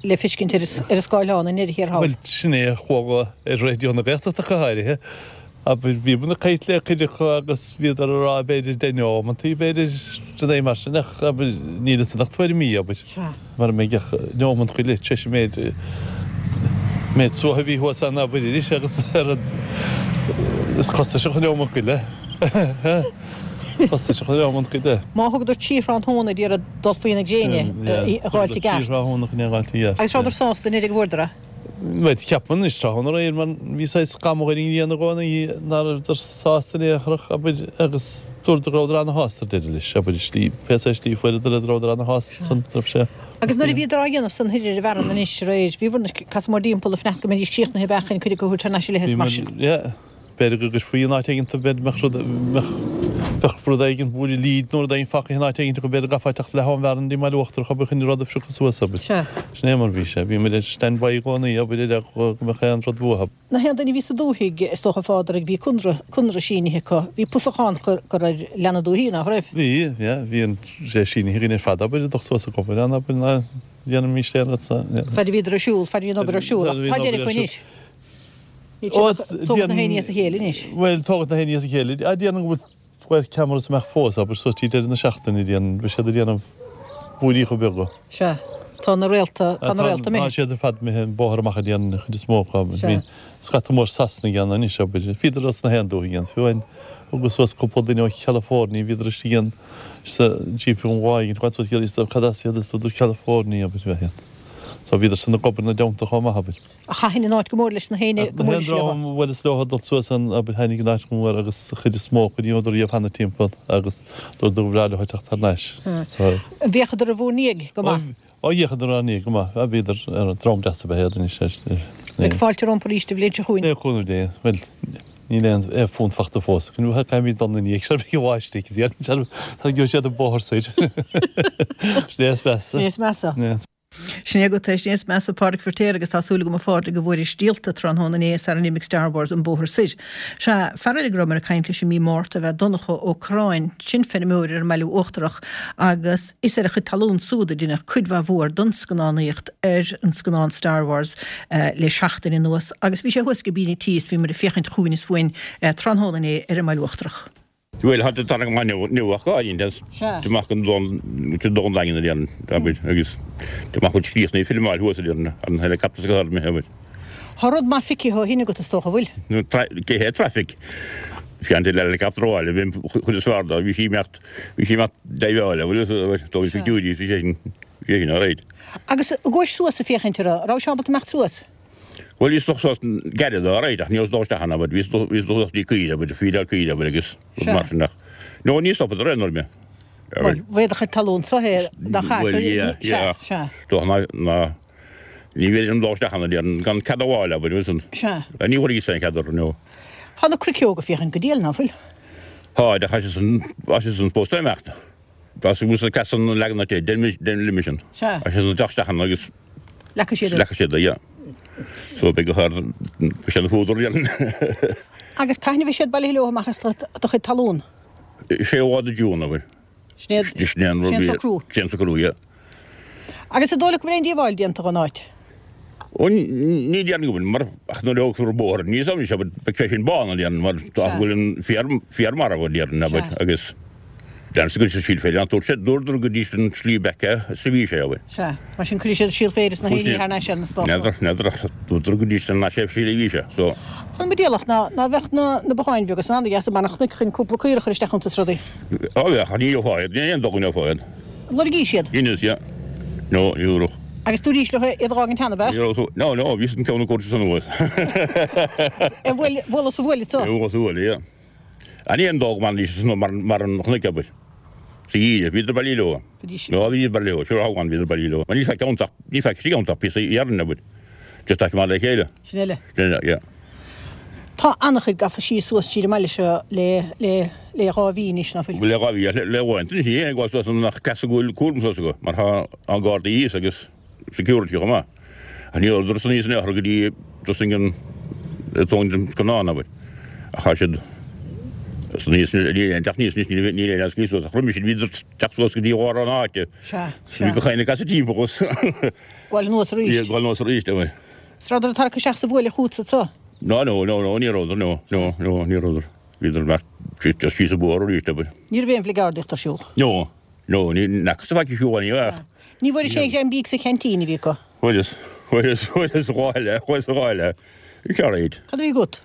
le feiscint ar an scáileán i ndeireadh thiar thall. Bhuel, sin é a chuala ar Raidió na Gaeltachta go háirithe. Abair, bhí muid ag caint le cuid acu agus bhíodar ag rá b'fhéidir deich neomantaí, b'fhéidir, rudaí mar sin ach, abair, níl fhios ach tuairimí, abair. Mara mbeidh ach neomant go leith tar éis an méid, méid suaithe a bhí thuas ann, abair, arís agus ar an, is costasach an neomant go leith. Costasach an neomant go leith. Má thugadar trí thráthnóna d'iarraidh dul faoi na gréine a dh'fháilt i gceart. Agus rabhadar sásta an oiread a fuaireadar é? Bhuel, ceapaim anois tráthnóna aréir mar bhí saghas scamall ar an ngrian i gcónaí ná rabhadar sásta in aon chor ach, abair, agus dúradar go rabhadar ana-shásta ar deireadh leis, abair, i slí, pé saghas slí a fuaireadar é rabhadar ana-shásta san, raibh sé. Agus nuair a bhíodar á dhéanamh san thoir ar an bhfearann anois aréir, bhíobhair ag casadh mórthimpeall ag fanacht go mbeidís críochnaithe ab ea chun cuid acu a thabhairt thar n-ais i leith is mar sin. Yeah. B'fhéidir go gcuirfí in áit éigin b'fhéidir mbeadh rud, mbeadh, bheadh rud éigin, buaile lead nó rud éigin fágtha in áit éigin acu, b'fhéidir go gcaithfeá teacht leath ón bhfearann dtí an mBaile Uachtarach, abair, chun rud a phriocadh suas, abair. Sea. Sin é mar bhí sé. Bhí muid ar stand by i gcónaí, abair, ar eagla go mbeadh aon rud uathu. Na haon duine a bhí sa dúthaigh, is dócha, a Phádraig, bhí conradh, conradh sínithe acu. Bhí pusachán curtha ar leath na dúthaí, nach raibh? Bhí, yeah, bhí an, sé sínithe againn ar fad, abair, ag dul suas ag obair ann, abair, ná déanaimis aon rud sa, yeah. Fad a bhíodar ar siúl, fad a bhí an obair ar siúl, ach tá deireadh acu anois. Tógadh na héinne as a chéile anois. Bhuel, tógadh na héinne as a chéile. Ah, déarfainn go bhfuil square cameras amach fós, abair, suas dtí deireadh na seachtaine, déarfainn, beidh siad ag déanamh buairíocha beaga. Sea. Tá na réalta, tá na réalta imithe. Tá siad ar fad imithe an bóthar amach, déarfainn, an chuid is mó acu. Sea. Bhí scata mór Sasanaigh ann anois, abair. Bhíodar as na haon dúthaigh ann. Fiú amháin, thugas suas cúpla duine ó Chalifornia, bhíodar istigh ann sa Jeep an lá éigin, chuaigh suas iad, cad as iad, is dúradar California, abair, bheith iad. So bhíodar san ag obair ina dteannta chomh maith, abair. Ach thaitin an áit go mór leis na héinne go mór leis leo. Bhuel is leo dul suas an abair thaitnigh an áit go mór agus an chuid is mó acu ní rabhadar riamh cheana timpeall agus dúradar gur bhreá leo teacht thar n-ais. So. D'fhéachadar i bhur ndiaidh go maith. Ó d'fhéachadar inár ndiaidh go maith. Bhíodar ar dream deas ab ea iad anois. Beidh fáilte rompu arís an bhliain seo chugainn. Le cúnamh Dé. Bhuel. Níl aon phunt fachta fós. Caithfimid dul ina dhiaidh sar beidh an bháisteach ag déanamh sar gheobhaidh siad an bóthar soir. Sin é is measa. Sin é is measa. Sin é agat é, sin é is measa Pádraic Firtéar agus tá súil agam a Phádraig go bhfuairis díolta tráthnóna inné sara n-imigh Star Wars an bóthar soir. Sea, fear eile go rabhamar ag caint leis i mí Márta ab ea Donncha Ó Corráin, sin feirmeoir ar an mBaile Uachtarach agus is ar a chuid talún súd a deineadh cuid mhaith mhór don scannánaíocht ar an scannán Star Wars le seachtain anuas agus bhí sé thuas i gcabín an tí is bhíomar ag féachaint chugainn is chugainn tráthnóna inné ar an mBaile Uachtarach. Bhuel, tá tarraingt amach inniu ach go háirithe, tá amach an Dún Daingean a déanann, abair, agus tá amach chuid críochnaithe filmeáil thuas a déanann an helicopter go hard abair. Tá rud maith feicthe ó shin agat is dócha, bhfuil? Cé hé traffic? Bhí an helicopter abhaile, bhí an chuid is fearr dó, bhí sí imeacht, bhí sí imeacht diveáil, bhfuil fhios agat, abair, dóibh pictiúirí, bhí sé sin, bhí sé sin alright. Agus ag gabháil suas ag féachaint uirthi, raibh sé ábalta imeacht suas? Bhuel, bhíos dul suas gairid alright ach ní rabhas dul isteach ann, abair, bhíos dul suas dtí coill, abair, feedáil coill, abair, agus rud mar sin ach, no, ní stopadar aon uair mé, abair. Bhuel, b'é do chuid talún-sa é dá chaith, Bhuel, yeah, yeah, ach sea. dócha ná, ná, ní bhféidir liom dul isteach ann, a déarfainn, gan cead a fháil, abair, bhfuil san. Sea. Ní bhfuair aon chead orthu, no. Tá na cnoic óga ag féachaint go diail, ná fuil? Tá, ach tá siad san, tá siad san supposed to imeacht. Tá siad sa cleas san leagan atá, dein, dein liom sin. Sea. Tá siad san teacht isteach ann agus. Leagfaidh siad é. Leagfaidh siad é, yeah. So beidh go hard, beidh sé ina fuadar déarfainn. Agus cathain a bheidh siad bailithe leo amach as do chuid talún? Séú lá de June, abair. Sin é, Sin é an sin é an socrú. Sin é an socrú, yeah. Agus an dóigh leat go bhfuil aon díobháil déanta dhon áit? Ó, ní déarfainn go bhfuil, mar ach nuair a thógfar an bóthar aníos anois, abair, beidh sé sin bán, a déarfainn, mar tá go bhfuil an féar, féar marbh, a déarfainn, abair, agus. Deirtear go bhfuil siad síol féir ann. Dúirt sé, dúradar go dtí sin an slí b'aice is a bhí sé, abair. Sea. Mar sin cuirfidh siad síol féir is na héirí thar n-ais air na stát. N'fheadar, n'fheadar ach dúradar go dtí sin an ais slí a bhí sé, so. An mo dialach ná ná bheadh na na botháin bheaga san ana-dheas i mbarr an chnoic chun cúpla caora a chur isteach iontu is rudaí. Á bheadh, ach ní gheofá iad, ní aon dóigh go ngeofá iad. Lorgaís iad? Dheineas, yeah. No, ní thabharfadh. Agus dúraís leo iad a dh'fhágaint cheana, ab ea? Ní raibh, no, no, bhíos an ceann ag cur san anuas. Ar bhuail, bhualadh sa bhuaile, so? Bhualadh sa bhuaile, yeah. Ní aon dóigh go mbainfidís as mar an chnoic, abair. Sa gheimhreadh, bhíodar bailí leo. No, bhíodar bailí leo, sure thoghan bhíodar bailí leo. Mar ní faic iontach, ní faic istigh iontach píosa iarainn, abair. Just aice maith le chéile. Sin eile. Sin eile, yeah. Tá an-chuid gafa síos suas tríd an mbaile seo le, le, le dhá mhí anois, ná fuil? Le dhá mhí, le uaireanta anois, ní ag gabháil suas an ach cleas go bhfuil cúram suas acu, mar tá an Gardaí thíos agus security chomh maith. Ach ní rabhadar san in aon chor go dtí tosaigh an tóin den scannán, abair. Ach tá siad san níos, níl aon teacht níos anois, níl aon eascaí suas. Ach roimhe sin bhíodar teacht suas go dtí lár na háite. Sea, sea. Bhí gach éinne ag casadh timpeall os. Gabháil anuas arís. Yeah, gabháil anuas arís, abair. 'S rabhadar ag tarrac isteach sa bhuaile chugatsa anso? No, no, no, no, ní rabhadar, no, no, no, ní rabhadar. Bhíodar ag imeacht just síos an bóthar arís, abair. Ní raibh aon bhligeardaíocht ar siúl? No. No, ní fhacthas faic fiú amháin ach. Ní bhfuairis aon ghreim bídh sa cheaintín a bhí acu. Fuaireas, fuaireas, fuaireas dhá eile, fuaireas dhá eile. Bhí sé alright. Cad a bhí agat?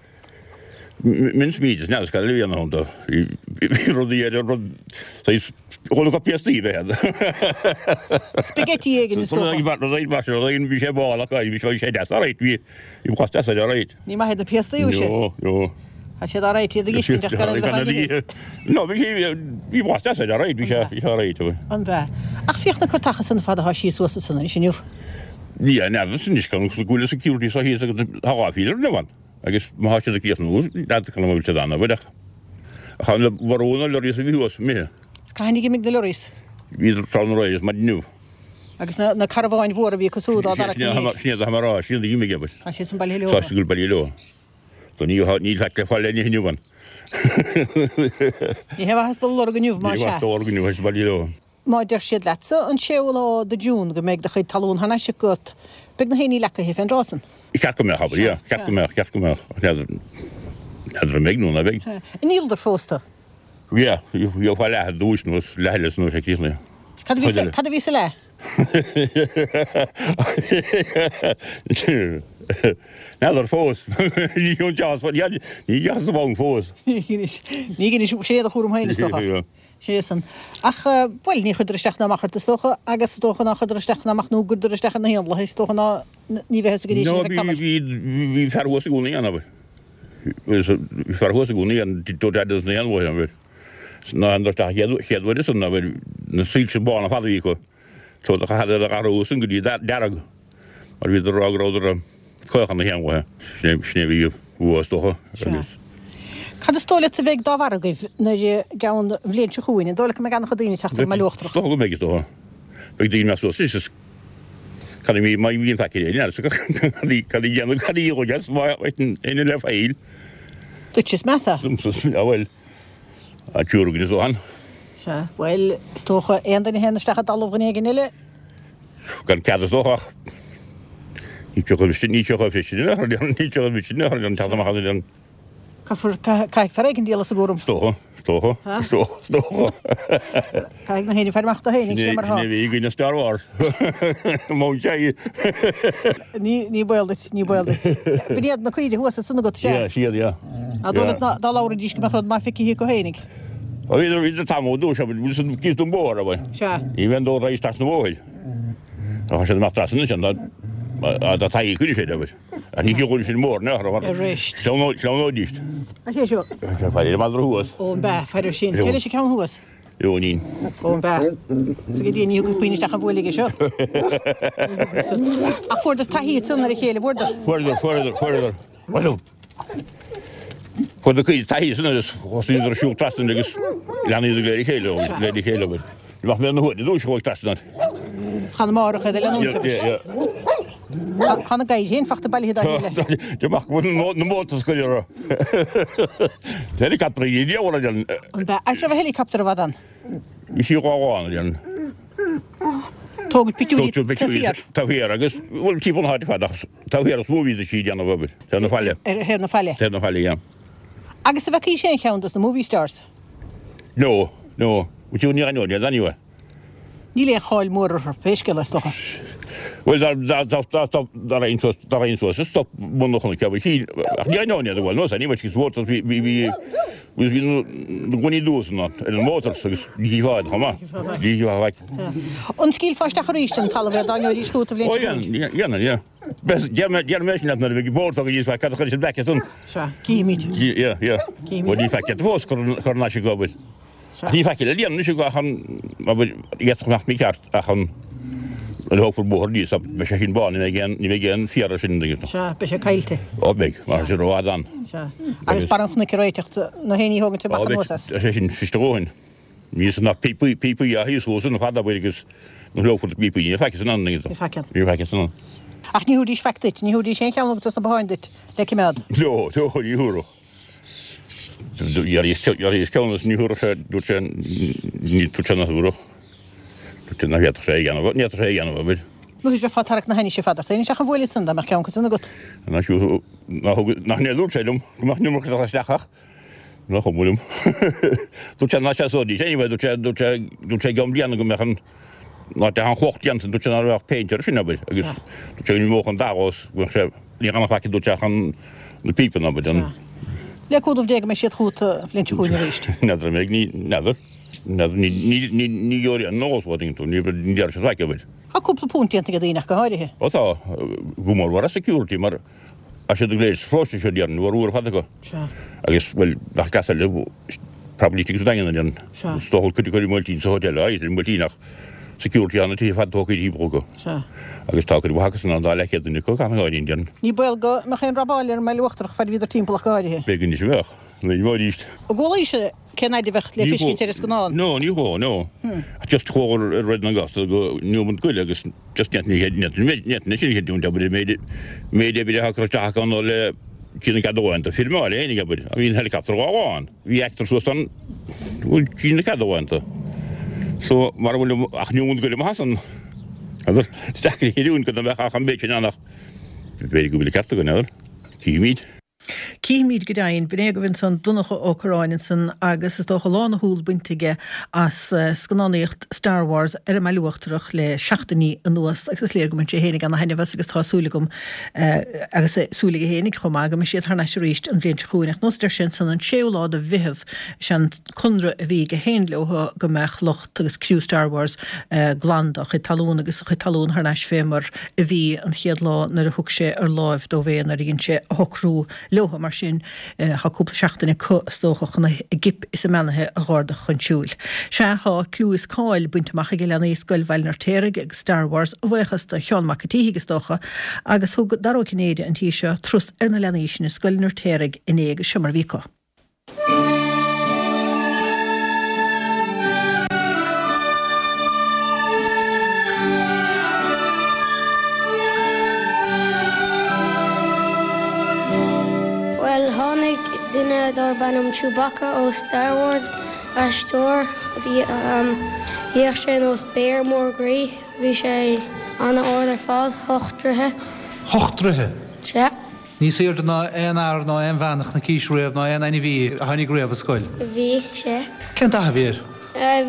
Mince meat is n'fheadar cad eile a bhí ann dó. Bhí rudaí ar an rud, saghas, chuala go piastaí a bheith ann. Spaghetti éigin is dócha. Rud éigin mar sin, rud éigin, bhí sé mall ach bhí sé deas alright, bhí, bhí blas deas air alright. Ní maith iad na piastaí, ó sé. No, no. Tá siad alright, iad ag uiscint ach gan iad a bheith á n-ithe. No, bhí sé, bhí blas deas air alright, bhí sé, bhí sé alright. An b'ea? Ach féach na curtacha san fad atá síos suas ansan anois inniu. Yeah, n'fheadar anois go bhfuil security seo thíos agus tá dhá phílear inniu ann. Agus má tá siad ag críochnú, n'fheadar cén am a bhfuil siad ann, abair ach tá na mharú na lorries a bhí thuas imithe. Cathain a d'imigh na lorries? Bhíodar tráthnóna aréir is maidin inniu. Agus na carabháin mhóra a bhí acu súd á dtarrac ina dhiaidh. Sin iad atá mé a rá, sin iad a d'imigh, abair. Tá siad san bailithe leo. Tá siad go bailithe leo. So ní níl faic le fáil le n-ithe inniu ann. Ní hé mhaitheas dul a lorg inniu, más ea. Ní mhaitheas dul a lorg inniu, tá siad bailithe leo. Má deir siad leatsa an séú lá de June go mbeidh do chuid talún thar n-ais agat, beidh na héinní leacaithe fén dtráth san. Cheart go mbeadh, abair, yeah. Cheart go mbeadh, cheart go mbeadh. N'fheadar, n'fheadar an mbeidh nó ná beidh. An ndíoladar fós tú? Yeah, gheofá leath ar dtúis nó is leath eile san uair sé críochnaithe. Cad a bhí sa, cad a bhí sa leath? N'fheadar fós. Ní dheas, ní dheas a bhonn fós. Ní dheinis, sé do chúram féin is dócha. Sé san. Ach, bhuel, ní chuireadar isteach ná amach ort is dócha, agus is dócha ná chuireadar isteach ná amach nó go gcuireadar isteach ar na héanlaithe, is dócha ná ní bheith fhios agat é sin No, ar feadh bhí, tamaill. bhí, bhí fear thuas i gcónaí ann, abair. Bhí fear thuas i gcónaí ann, dúirt Adams na héanlaithe, abair. Ná an dúirt ach chéad uair san, abair, na soilse bána fada a bhí acu. So do chaitheadar iad a athrú san go dtí dearg, mar bhíodar ag rá go rabhadar ag caochadh na héanlaithe. Sin é, sin é a bhí uathu is dócha, Sea. agus. Cad is dóigh leat a bheidh dá bharr agaibh nuair i gceann an bhliain seo chugainn? An dóigh leat go mbeidh an-chuid daoine ag teacht ar an mBaile Uachtarach? Is dócha go mbeidh, is dócha. Beidh daoine ag imeacht suas anois is cad a má bhíonn faic ar éirinn cad a dhéanamh, cad a dhíolfaidh as má éinne le faill. Duit is measa. Domsa, bhuel, an triúr againn is dócha. Sea, bhuel, is dócha aon duine a théann isteach i dtalamh dhuine éigin eile. Gan cead is dócha ach ní thiocfaidh ní thiocfaidh sin in aon chor, ní thiocfaidh sin in aon chor an teacht amach as an. Caithfear, caithfidh fear éigin díol as an gcúram. Is dócha, is dócha, is dócha, is dócha. Caithfidh na héinne faire amach do féin, sin é mar atá. Sin é a bhí againn i Star Wars. Mount Jai. Ní, ní baol duit, ní baol duit. B'in iad na caoirigh thuas ansan agat, sea? Yeah, siad, yeah. An dóigh leat dá labhraidís go mbeadh rud maith feicthe acu fhéinig? Bhí idir tamall ó dtús, bhí siad cíos don bhóthar, a bhí. Sea. Ní bheinn dó tar éis teacht na bhóthair. Ach tá siad amach trasna ansin, dá taithí cuireadh sé, abair. Ach ní thiocfadh sin mór in aon chor, Arís. Sleamhnóidís. An sé seo? Faire ar an madra thuas. Ó, an b'ea, faire sin. Cé leis an ceann thuas? Eoinín. Ó, an b'ea. Is go dtí ní thugann puinn isteach an bhuaile aige seo. Ach fuaireadar taithí ansan ar a chéile, bhfuaireadar? Fuaireadar, fuaireadar, fuaireadar. Bhuel, fuair na caoirigh taithí san agus thosaíodar ag siúl trasna agus leanaíodar de réir a chéile, de réir a chéile abair. Ní bheadh mé ina thuaidh, dúis chuaigh trasna. Chan amárach iad a leanúint abair. Tá na gadhair féin fachta bailithe dá chéile. Dé amach go bhfuil na mótaí scoile orthu. Helicopter a dhiabhal a dhéanamh. An b'ea? Agus raibh helicopter i bhfad ann? Bhí sí dhá lán a dhéanamh. Tógaint pictiúirí taobh thiar. Taobh thiar agus bhuel timpeall na háite fad ach taobh thiar is mó a bhí sí ag déanamh obair. Taobh na faille. Ar thaobh na faille. Taobh na faille, yeah. Agus an bhfeacaís aon cheann dos na movie stars? No, no. Bhuel ní aithneoinn iad anyway. Níl aon cháil mhór orthu, pé scéal é, is dócha. Bhuel, dá, dá, dá, dá, dá, dá raghainn suas, dá raghainn suas is stop bun an chnoic, bhuel, shíl, ach ní aithneoinn iad, bhuel, no, anyway, agus motors, bhí, bhí, bhí, bhí, bhí na gloiní dubha san ar an motors agus ní chífeá iad chomh maith. Ní chífeá faic. An scaoilfeá isteach arís an talamh é dá ngeobhaidís chugat an bhliain seo chugainn? Ó, dhéanfainn, yeah. Déarfaidh mé sin leat nuair a bheidh bord againn níos faic, cad a chuir siad back san? Sea, cífimid. Yeah, yeah. Cífimid. Bhuel, ní faic iad fós, cur thar n-ais ag obair. Sea. Ní faic le déanamh anois ach an, abair, d'fhéadfadh nach mícheart ach an, nuair a thógfar bóthar aníos, beidh sé sin bán, ní bheidh aon, ní bheidh aon féar air sin, an dtuigeann tú. Sea, beidh sé caillte. Ó, beidh, mar tá sé rófhada ann. Sea. Agus barr an chnoic a réiteach, na héinní a thógaint amach anuas as. Ó, beidh sé sin fios do dhóthain. Ní san ach píopaí, píopaí a thíos thuas an fad abair agus nuair a thógfar na píopaí, níl faic san ann, an dtuigeann tú. Níl faic ann. Níl faic san ann. Ach ní thabharfaidís faic duit, ní thabharfaidís aon cheann agat dos na botháin duit le cimeád. No, no, ní thabharfadh. D'iarraidh ceann agus ní thabharfadh sé, dúirt sé, ní, dúirt sé nach dtabharfadh. Dúirt sé nach bhféadfadh sé é a dhéanamh, ní fhéadfadh sé é a dhéanamh, abair. Nó bheifeá ag tarrac na hainnise fad ort féin isteach an bhuaile san dá mbeadh ceann acu san agat. Nach nach nach níor dúirt sé liom go mbeadh an iomarca ag teacht isteach ach nach cuma liom. Dúirt sé nach seasóidís anyway, dúirt sé, dúirt sé, dúirt sé i gceann bliana go mbeadh an, ná teach an chloch déanta, dúirt sé ná raibh ach péint air sin, abair, agus dúirt sé go n-imeodh an dath os, go mbeadh sé, ní dhéanfadh faic, dúirt sé ach an, na píopanna, abair, an. Le cúnamh Dé go mbeidh siad chugat an bhliain seo chugainn arís. N'fheadar an mbeidh, ní, n'fheadar, n'fheadar, ní, ní, ní, ní gheobhaidh aon eolas uait, tú, ní, ní déarfaidh siad faic, abair. Tá cúpla punt déanta ag daoine ach go háirithe. Ó tá, go mór mhór as security mar tá siad go léir sa pharóiste seo déarfainn, bhfuair uair ar fad acu. Sea. Agus, bhuel, nach cleas eile, probably tigh sa Daingean déarfainn. Sea. Is dócha cuid acu i mBuailtín sa hotel, aye, i mBuailtín ach security ann na tithe fada tógtha timpeall acu. Sea. Agus tá cuid mhaith acu san ann, dá leathchéad duine acu, gan áirín, déarfainn. Ní baol go mbeadh aon robáil ar an mBaile Uachtarach fad a bhíodar timpeall ach go háirithe. B'fhéidir anois a bheadh, nuair a bheadh arís. An gcualaís cén fhaid a bheadh le fiscint ar an scannán? No, ní chuala, no. Just chuala ar Red na Gasta go Newman Goile agus just ní ní sin chinniúint abair méid méid oibre atá curtha isteach acu nó le trína cead amháin do firmeáil fhéinig abair a bhí an helicopter dhá lán bhí actor suas an bhfuil trína cead amháin do so mar a bhfuil ach Newman Goile amach as an agus is deacair a chinniúint go mbeadh ach an méid sin ann ach b'fhéidir go bhfuil an ceart againn abair cífimid. Cífimid go deimhin. B'in é agaibh ansan Donncha Ó Corráin ansan agus is dócha lán a shúl bainte aige as scannánaíocht Star Wars ar an mBaile Uachtarach le seachtainí anuas agus is léir go mbain sé fhéinig ana thaitneamh as agus tá súil agam agus súil aige fhéinig chomh maith go mbeidh siad thar n-ais arís an bhliain seo chugainn. Ach nós a deir sé ansan an séú lá de Mheitheamh is é an conradh a bhí aige féin leo go mbeadh lucht agus criú Star Wars glan dá chuid talún agus a chuid talún thar n-ais fé mar a bhí an chéad lá nuair a thug sé ar láimh dóibh é nuair a dhein sé a shocrú leo. Mar sin tá cúpla seachtain acu is dócha chun a gcip is a mbeannaithe a dh'ardadh chun siúil. Sea, tá clú is cáil bainte amach ag leanaí Scoil Bhaile an Fheirtéaraigh ag Star Wars a bhuíochas do Sheán Mac an tSíthigh is dócha agus thug Dara Ó Cinnéide an tí seo turas ar na leanaí sin i Scoil an Fheirtéaraigh inné agus seo mar a bhí acu. Bhuel, tháinig duine darb ainm Chewbacca ó Star Wars, aisteoir, bhí, bhíodh sé nós béar mór groí, bhí sé an-ard ar fad, hocht dtroithe. Hocht dtroithe? Sea. Níos aoirde ná aon fhear ná aon bhean a chonaicís riamh ná aon ainmhí a tháinig riamh ar scoil. Bhí sé. Cén dath a bhí air?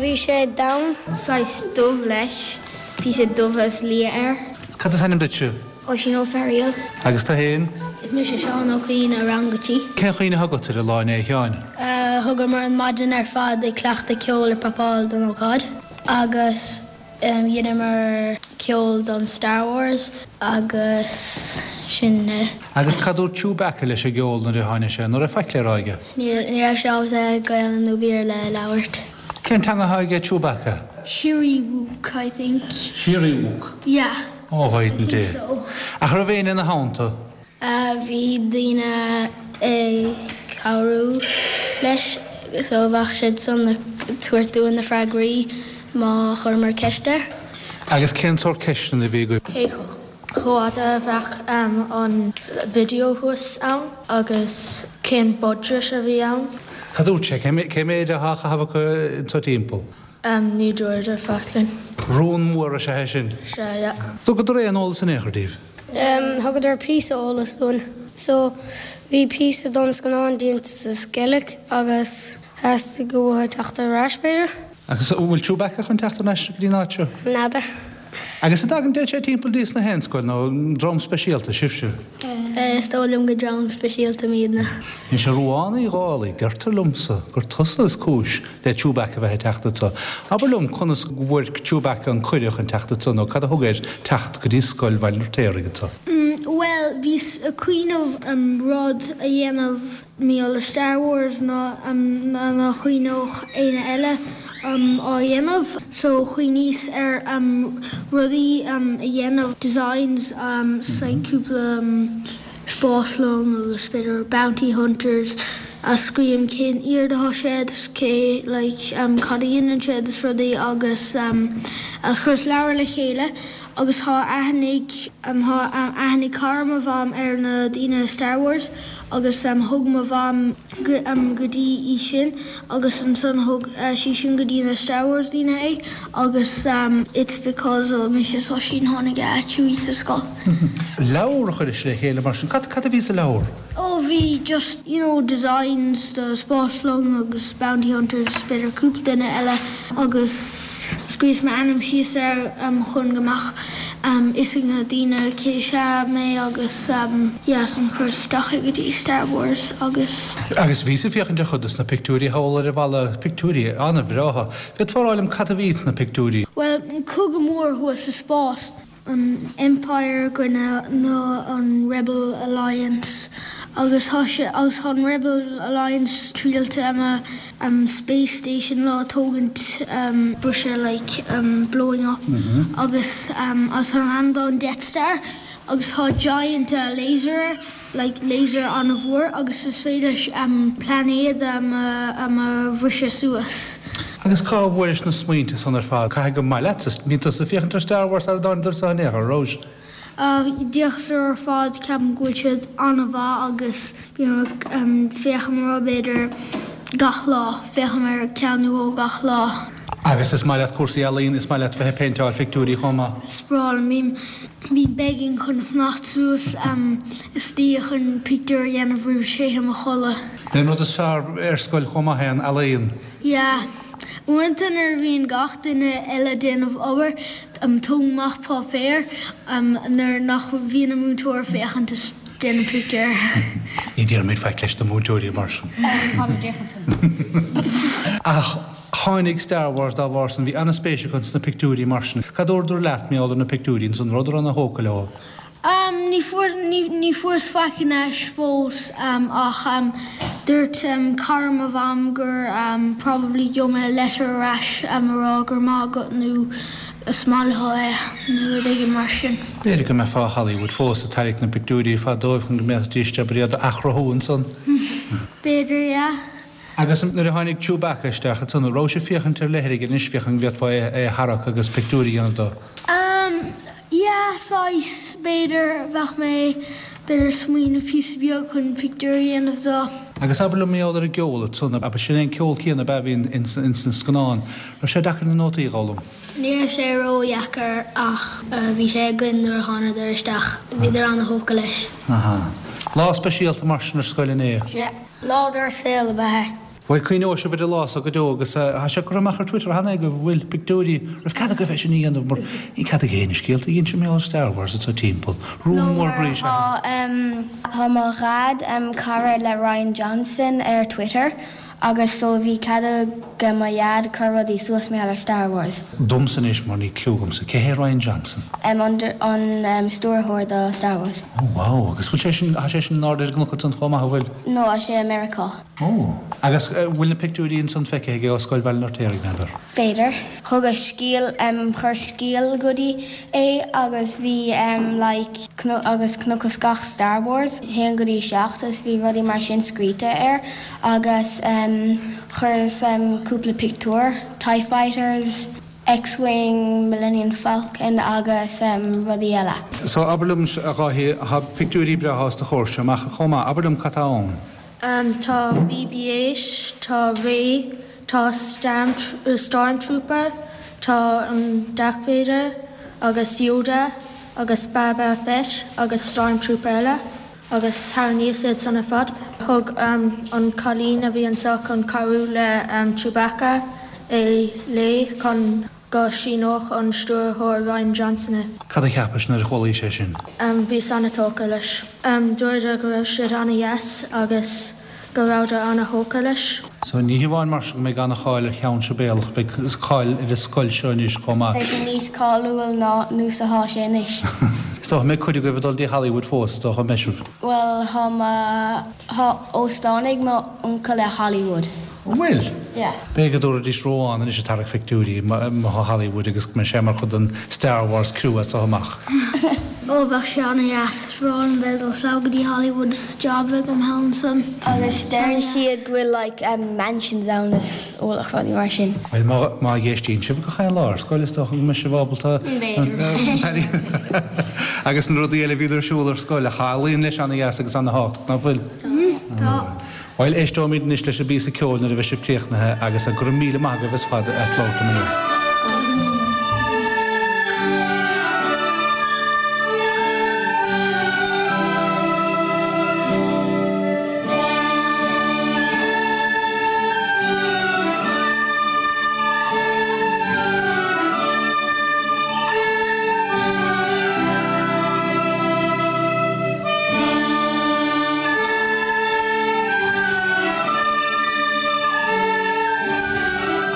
Bhí sé donn. Saghas dubh leis, píosa dubh is liath air. Cad is ainm duitse? Oisín Ó Fearaíl. Agus tú féin? Is mise Seán Ó Cuinn ó Rang a Trí. Cén chuimhne atá agat ar an lá inné, a Sheáin? Thugamar an maidin ar fad ag cleachtadh ceoil ag prapáil don ócáid agus. Dheineamar ceol don Star Wars agus sin é. Agus cad dúirt Chewbacca leis an gceol nuair a tháinig sé? An raibh faic le rá aige? Ní raibh sé ábalta Gaelainn nó Béarla a labhairt. Cén teanga atá aige Chewbacca? Shyriiwook, I think. Shyriiwook? Yeah. Ó, a I Mhaighdean think Dé. so. Ach raibh éinne ina theannta? Bhí daoine ag cabhrú leis so bheadh siad san ag tabhairt dúinn na freagraí má chuireamar ceist air. Agus cén sórt ceisteanna a bhí agaibh? Cé chomh fada a bheadh an video thuas ann agus cén budget a bhí ann. Cad dúirt sé? Cé méid atá á chaitheamh acu anseo timpeall? Ní dúradar faic linn. Rún mór is ea é sin. Sea, yeah. Thugadar aon eolas in aon chor daoibh? Thugadar píosa eolas dúinn. So, bhí píosa don scannán déanta sa Sceilg agus theastaigh uathu teacht ar ais, b'fhéidir? Agus an bhfuil Chewbacca chun teacht thar n-ais go dtí an áit seo? N'fheadar. Agus an dtagann sé timpeall dtí sna haon scoil nó dream speisialta sibhse? Is dóigh liom gur dream speisialta muidne. Anois a Ruán Uí Dhálaigh, deirtear liomsa gur tusa is cúis le Chewbacca bheith ag teacht anso. Abair liom conas go bhfuair Chewbacca an cuireadh chun teacht anso nó cad a thug air teacht go dtí scoil Bhaile an Fheirtéaraigh anso. Bhuel, bhíos ag cuimhneamh rud a dhéanamh mar gheall ar Star Wars ná nach chuimhneodh éinne eile á dhéanamh. So chuimhníos ar rudaí a dhéanamh, designs, like cúpla spáslong agus b'fhéidir bounty hunters a scríobhaim cén airde atá siad is cé like cad a dhéanann siad is rudaí agus agus chuireas leabhar le chéile agus tá aithne ag tá aithne ag cara mo mham ar na daoine Star Wars agus thug mo mham go go dtí í sin agus ansan thug sí sin go dtí na Star Wars daoine é agus it's because of mise is Oisín tháinig a Chewie sa scoil. Leabhar a chuiris le chéile mar sin. Cad cad a bhí sa leabhar? Oh bhí just you know designs do spáslong agus bounty hunters b'fhéidir cúpla duine eile agus scríos m'ainm síos air chun go mbeadh fhios ag na daoine cé is ea mé agus yeah ansan chuireas isteach é go dtí Star Wars agus. Agus bhíos ag féachaint ar chuid dos na pictiúirí thall ar an bhalla, pictiúirí an-bhreátha. Féadfá a rá liom cad a bhí sna pictiúirí? Bhuel, cogadh mór thuas sa spás. an Empire i gcoinne na an Rebel Alliance agus tá sé agus tá an Rebel Alliance triailte um um space station le tógaint um briseadh like um blowing up agus um agus tá an armdán Death Star agus tá giant uh laser air like laser an-mhór agus is féidir leis um pláinéad um um a bhriseadh suas. Agus cá bhfuairis na smaointe san ar fad? Caithfidh gur maith leatsa, bhí tusa ag féachaint ar Star Wars sara dtáinig tusa in aon chor, raibh? D'fhéachas orthu ar fad, ceapaim go bhfuil siad an-mhaith agus bím ag féachaim orthu b'fhéidir gach lá, féachaim ar ceann nó dhó gach lá. Agus is maith leat cúrsaí ealaíon, is maith leat bheith ag péinteáil phictiúirí chomh maith? Is breá liom, bím bím begging chun fanacht suas istoíche chun pictiúr a dhéanamh roimh téim a chodladh. B'é an rud is fearr ar scoil chomh maith é an ealaíon. Yeah. Uaireanta nuair a bhíonn gach duine eile déanamh obair, tógaim amach páipéar nuair nach bhíonn an múinteoir ag féachaint is déanaim pictiúr. Ní déarfaimid faic leis na múinteoirí mar sin. Ach tháinig Star Wars dá bharr san, bhí an-spéis agat sna pictiúirí mar sin. Cad dúradar leat, mar gheall ar na pictiúirí ansan, rabhadar ana-thógtha leo? Ní fuair, ní fuaireas faic in ais fós ach dúirt cara mo mham gur probably gheobhaidh mé letter ar ais a rá go raibh maith agat nó is maith leo é nó rud éigin mar sin. B'fhéidir go mbeifeá i Hollywood fós ag tarraingt na bpictiúirí ar fad dóibh chun go mbeidís ábalta iad a athchruthú ansan. B'fhéidir, yeah. Agus nuair a tháinig Chewbacca isteach ansan, an raibh sibh ag féachaint ar leith air anois, féachaint an bhféadfá é a tharrac agus pictiúr a dhéanamh dó? Umm, yeah, saghas, b'fhéidir, bheadh mé, b'fhéidir smaoineamh píosa beag chun pictiúr a dhéanamh dó. Agus abair liom mar gheall ar an gceol ansan, ab sin é an ceol céanna ab ea a bhí ins an scannán? Raibh sé deacair na nótaí a dh'fhoghlaim? Ní raibh sé ró-dheacair ach bhí sé againn nuair a thánadar isteach. Bhíodar ana-thógtha leis. Aha. Lá speisialta mar sin ar scoil inné. Sea. Lá dár saol ab ea é. Bhuel, cuimhneoidh sibh ar an lá so go deo agus tá sé curtha amach ar Twitter cheana agaibh, an bhfuil, pictiúirí, raibh cead agaibh é sin a dhéanamh mar níl cead ag éinne scéalta a inse mar gheall ar Star Wars anseo timpeall. Rún mór groí is ea é. Tá mo dhaid cara le Rian Johnson ar Twitter Agus so bhí cead ag mo dhaid cur rudaí suas mar gheall ar Star Wars. Domsa anois mar níl cliú agamsa. Cé hé Rian Johnson? An stiúrthóir do Star Wars. Oh wow, agus bhfuil sé sin, tá sé sin in airde ar an gcnoc ansan chomh maith, an bhfuil? No, tá sé i Meiriceá. Oh. Agus bhfuil na pictiúirí ansan feicthe aige ó Scoil Bhaile an Fheirtéaraigh, n'fheadar? B'fhéidir. Thugas scéal, chuir scéal go dtí é agus bhí like agus chonaiceas gach Star Wars, haon go dtí 7 agus bhí rudaí mar sin scríte air agus chuireas cúpla pictiúr, Tie Fighters, X-Wing, Millennium Falcon agus rudaí eile. So abair liom a Dháithí, tá pictiúirí breátha os do chomhair amach chomh maith, abair liom cad tá ann? Tá BB-8, tá Rey, tá Stormtrooper, tá an Darth Vader agus Yoda agus Boba Fett agus Stormtrooper eile agus tharraingíos iad san ar fad. Thug an cailín a bhí anseo chun cabhrú le Chewbacca é léi chun go síneodh an stiúrthóir Rian Johnson é. Cad a cheapais nuair a chualaís é sin? Bhíos an-tógtha leis. Dúradar go raibh siad an-dheas agus go rabhadar an-thógtha leis. So ní hamháin mar sin go mbeidh an-cháil ar Cheann Sibéalach, beidh cáil ar an scoil seo anois chomh maith. Beidh sé níos cáiliúil ná nós atá sé anois. Is dócha go mbeidh cuid agaibh ag dul dtí Hollywood fós, is dócha, an mbeidh sibh? Bhuel, tá mo, tá óstán ag mo uncail i Hollywood. An bhfuil? Yeah. B'fhéidir go dtabharfaidís Róhán anois ag tarrac phictiúirí ó Hollywood agus go mbeidh sé mar chuid den Star Wars crew as so amach. Ó bheadh sé ana-dheas bhreá liom bheith ag dul sall go dtí Hollywood is job a bheith agam thall ansan. Agus deireann siad go bhfuil like mansions ann is ualach rudaí mar sin. Bhuel má má dh'éistíonn sibh gach aon lá ar scoil is dócha go mbeidh sibh ábalta B'fhéidir. Agus na rudaí eile a bhíonn ar siúl ar scoil a luíonn leis ana-dheas agus ana-thábhachtach, nach bhfuil? Tá. Bhuel, éisteoimid anois leis an bpíosa ceoil nuair a bheidh sibh críochnaithe agus go raibh míle maith agaibh as fad as labhairt liom inniu.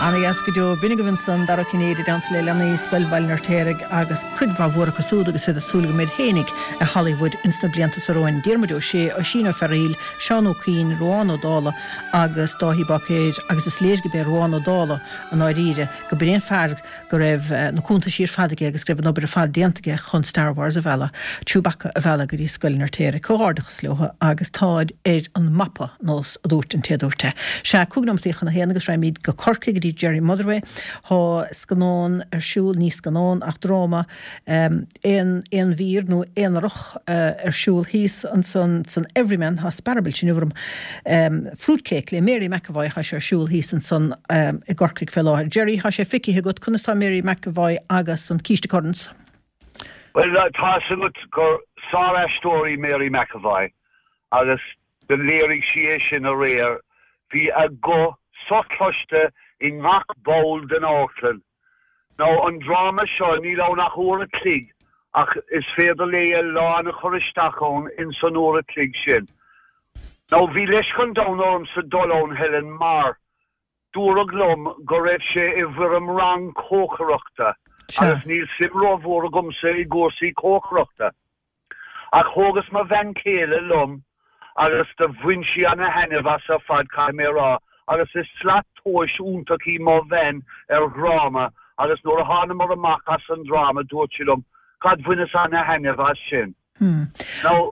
Ana-dheas go deo. B'in agaibh ansan Dara Ó Cinnéide i dteannta le leanaí Scoil Bhaile an Fheirtéaraigh agus cuid mhaith mhór acu súd agus iad ag súil go mbeid fhéinig i Hollywood ins na blianta so romhainn. Diarmuid Ó Sé, Oisín Ó Fearghaíl, Seán Ó Cuinn, Ruán Ó Dálaigh agus Dáithí Báicéir agus is léir go b'é Ruán Ó Dálaigh i ndáiríre go b'in é an fear go raibh na cuntaisí ar fad aige agus go raibh an obair ar fad déanta aige chun Star Wars a mhealladh, Chewbacca a mhealladh go dtí Scoil an Fheirtéaraigh. Comhghairdeachas leo agus táid ar an mapa, nós a dúirt an té a dúirt é. Sea, 5 nóimeataí chun a haon agus raghaimid go Corcaigh go dtí Gerry Motherway. Tá scannán ar siúl, ní scannán ach dráma, aon aon mhír nó aonarach ar siúl thíos ansan san Everyman, tá sparabilt inniu orm, Fruitcake le Mary McEvoy, tá sé ar siúl thíos ansan i gCorcaigh fé láthair. Gerry, tá sé feicthe agat, conas tá Mary McEvoy agus an Císte Currans? Bhuel, tá 'fhios agat gur sár-aisteoir í Mary McEvoy agus do léirigh sí é sin aréir. Bhí a guth sochloiste i ngach ball den amharclann. Now, an dráma seo, níl ann ach uair a chloig, ach is féidir léi a lán a chur isteach ann ins an uair a chloig sin. Now, bhí leisce an domhain ormsa dul ann, Helen, mar dúradh liom go raibh sé i bhfoirm rang cócaireachta, agus níl suim rómhór agamsa i gcúrsaí cócaireachta. Ach thógas mo bhean chéile liom agus do bhain sí ana-thaitneamh as ar fad, caithfidh mé a rá, agus is slat tomhais iontach í mo bhean ar dhráma agus nuair a thánamar amach as an dráma dúirt sí liom, God bhaineas ana-thaitneamh as sin. Now.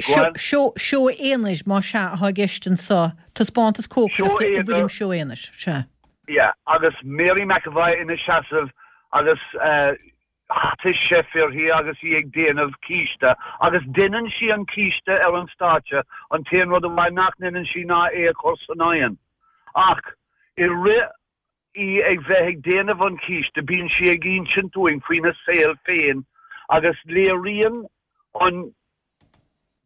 Seó aonair, más ea, atá i gceist anseo, taispeántas cócaireachta i bhfoirm seó aonair, sea. Yeah, agus Mary McEvoy ina seasamh agus hata chef uirthi agus í ag déanamh císte, agus deineann sí an císte ar an stáitse, an t-aon rud amháin nach ndeineann sí ná é a chur san oigheann. Ach i rith í ag bheith ag déanamh an chíste, bíonn sí ag insint dúinn faoina saol féin agus léiríonn an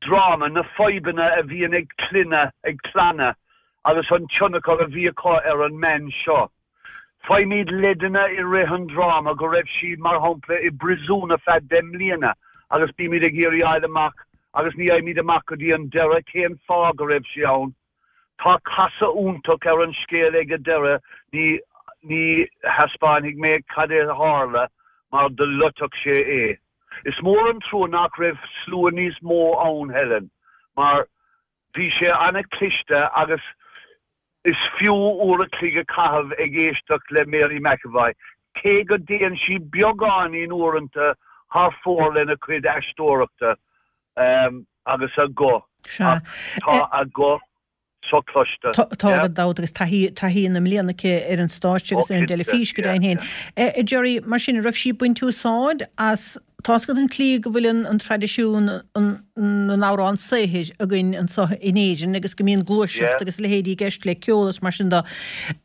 dráma na fadhbanna a bhíonn ag clainne, ag clanna agus an tionchar a bhí acu ar an mbean seo. Faighimid leideanna i rith an dráma go raibh sí, mar shampla, i bpríosún ar feadh 10 mbliana agus bímid ag iarraidh fháil amach, agus ní fhaighimid amach go dtí an deireadh, cén fáth go raibh sí ann. Tá casadh iontach ar an scéal ag an deireadh, ní ní thaispeánfaidh mé cad é a tharla mar do loitfeadh sé é. Is mór an trua nach raibh slua níos mó ann, Helen, mar bhí sé an-chliste agus is fiú uair a chloig a chaitheamh ag éisteacht le Mary McEvoy, cé go dtéann sí beagáinín uaireanta thar fóir lena cuid aisteoireachta. Agus a guth. Sea. Ach tá a guth sochloiste. Tá gan dabht agus taithí, taithí na mblianta aici ar an stáitse agus ar an dteilifís go deimhin féin. A Gerry, mar sin, an raibh sí ag baint úsáid as, tá's agat an tslí go bhfuil an, an traidisiún an, na n-amhrán saothair againn anseo in Éirinn agus go mbíonn gluaiseacht agus a leithéidí i gceist le ceol agus mar sin de.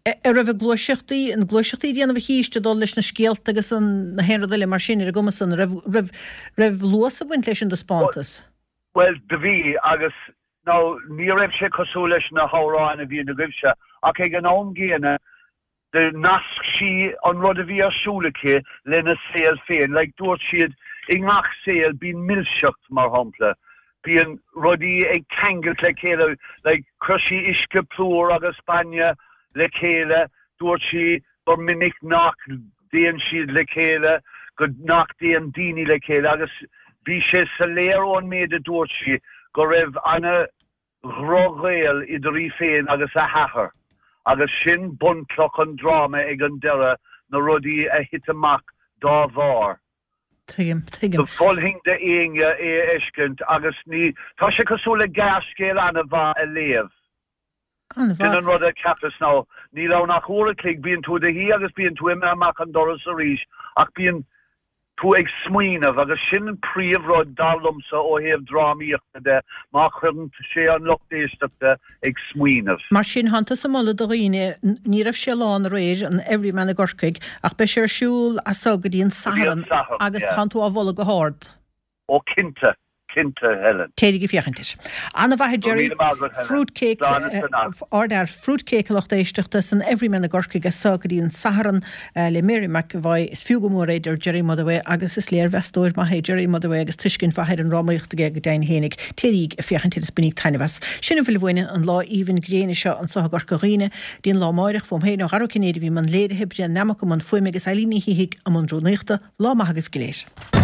An raibh a gluaiseachtaí, na gluaiseachtaí ag déanamh an chíste ag dul leis na scéalta agus an, na haon rud eile mar sin ar an gcuma san, an raibh, raibh, Raibh luas ag baint leis an dtaispeántas? Bhuel, do bhí, agus now ní raibh sé cosúil leis na hamhráin a bhíonn agaibhse, ach ag an am gcéanna, do nasc sí an rud a bhí ar siúl aici lena saol féin. Like, dúirt siad, i ngach saol bíonn milseacht, mar shampla, bíonn rudaí ag ceangailt le chéile, like, chuir sí uisce plúr agus bainne le chéile, dúirt sí gur minic nach dtéann siad le chéile, go nach dtéann daoine le chéile agus bhí sé soiléir ón méid a dúirt sí go raibh ana dhroch-ghaol idir í féin agus a hathair agus sin bunchloch an dráma ag an deireadh, na rudaí a thit amach dá bharr. Tuigim, tuigim. Mholfainn d'éinne é a fheiscint agus ní, tá sé cosúil le gearrscéal ana-mhaith a léamh. An-mhaith. Sin an rud a cheapas now. Níl ann ach uair a chloig, bíonn tú i do shuí agus bíonn tú imithe amach an doras arís ach bíonn tú ag smaoineamh agus sin an príomh rud dar liomsa ó thaobh drámaíochta de, má chuireann sé an lucht éisteachta ag smaoineamh. Mar sin, thánn tusa ag moladh do dhaoine, ní raibh sé lán aréir, an Everyman i gCorcaigh, ach beidh sé ar siúl as so go dtí an Satharn agus thánn tú á mholadh go hard. Ó cinnte, cinnte, Helen. Téiríg ag féachaint air. An-mhaith a Gerry. Go raibh míle maith agat, Helen. Fruit cake, Slán is beannacht. Ardfhear. Fruit cake a lucht éisteachta san Everyman i gCorcaigh as so go dtí an Satharn le Mary McEvoy. Is fiú go mór é, deir Gerry Motherway agus is léirmheastóir maith é Gerry Motherway agus tuiscint mhaith ar an ndrámaíocht aige go deimhin fhéinig. Téiríg ag féachaint air is bainíg taitneamh as. Sin a bhfuil uainne an lá aoibhinn gréine seo anso i gCorca Dhuibhne. Dtí an lá amáireach, fúm féin ó Dhara Ó Cinnéide a bhí i mbun léirithe, Brian Nammock i mbun fuaime agus Eileen Ní Shíthigh i mbun rúnaíochta. Lá maith agaibh go léir.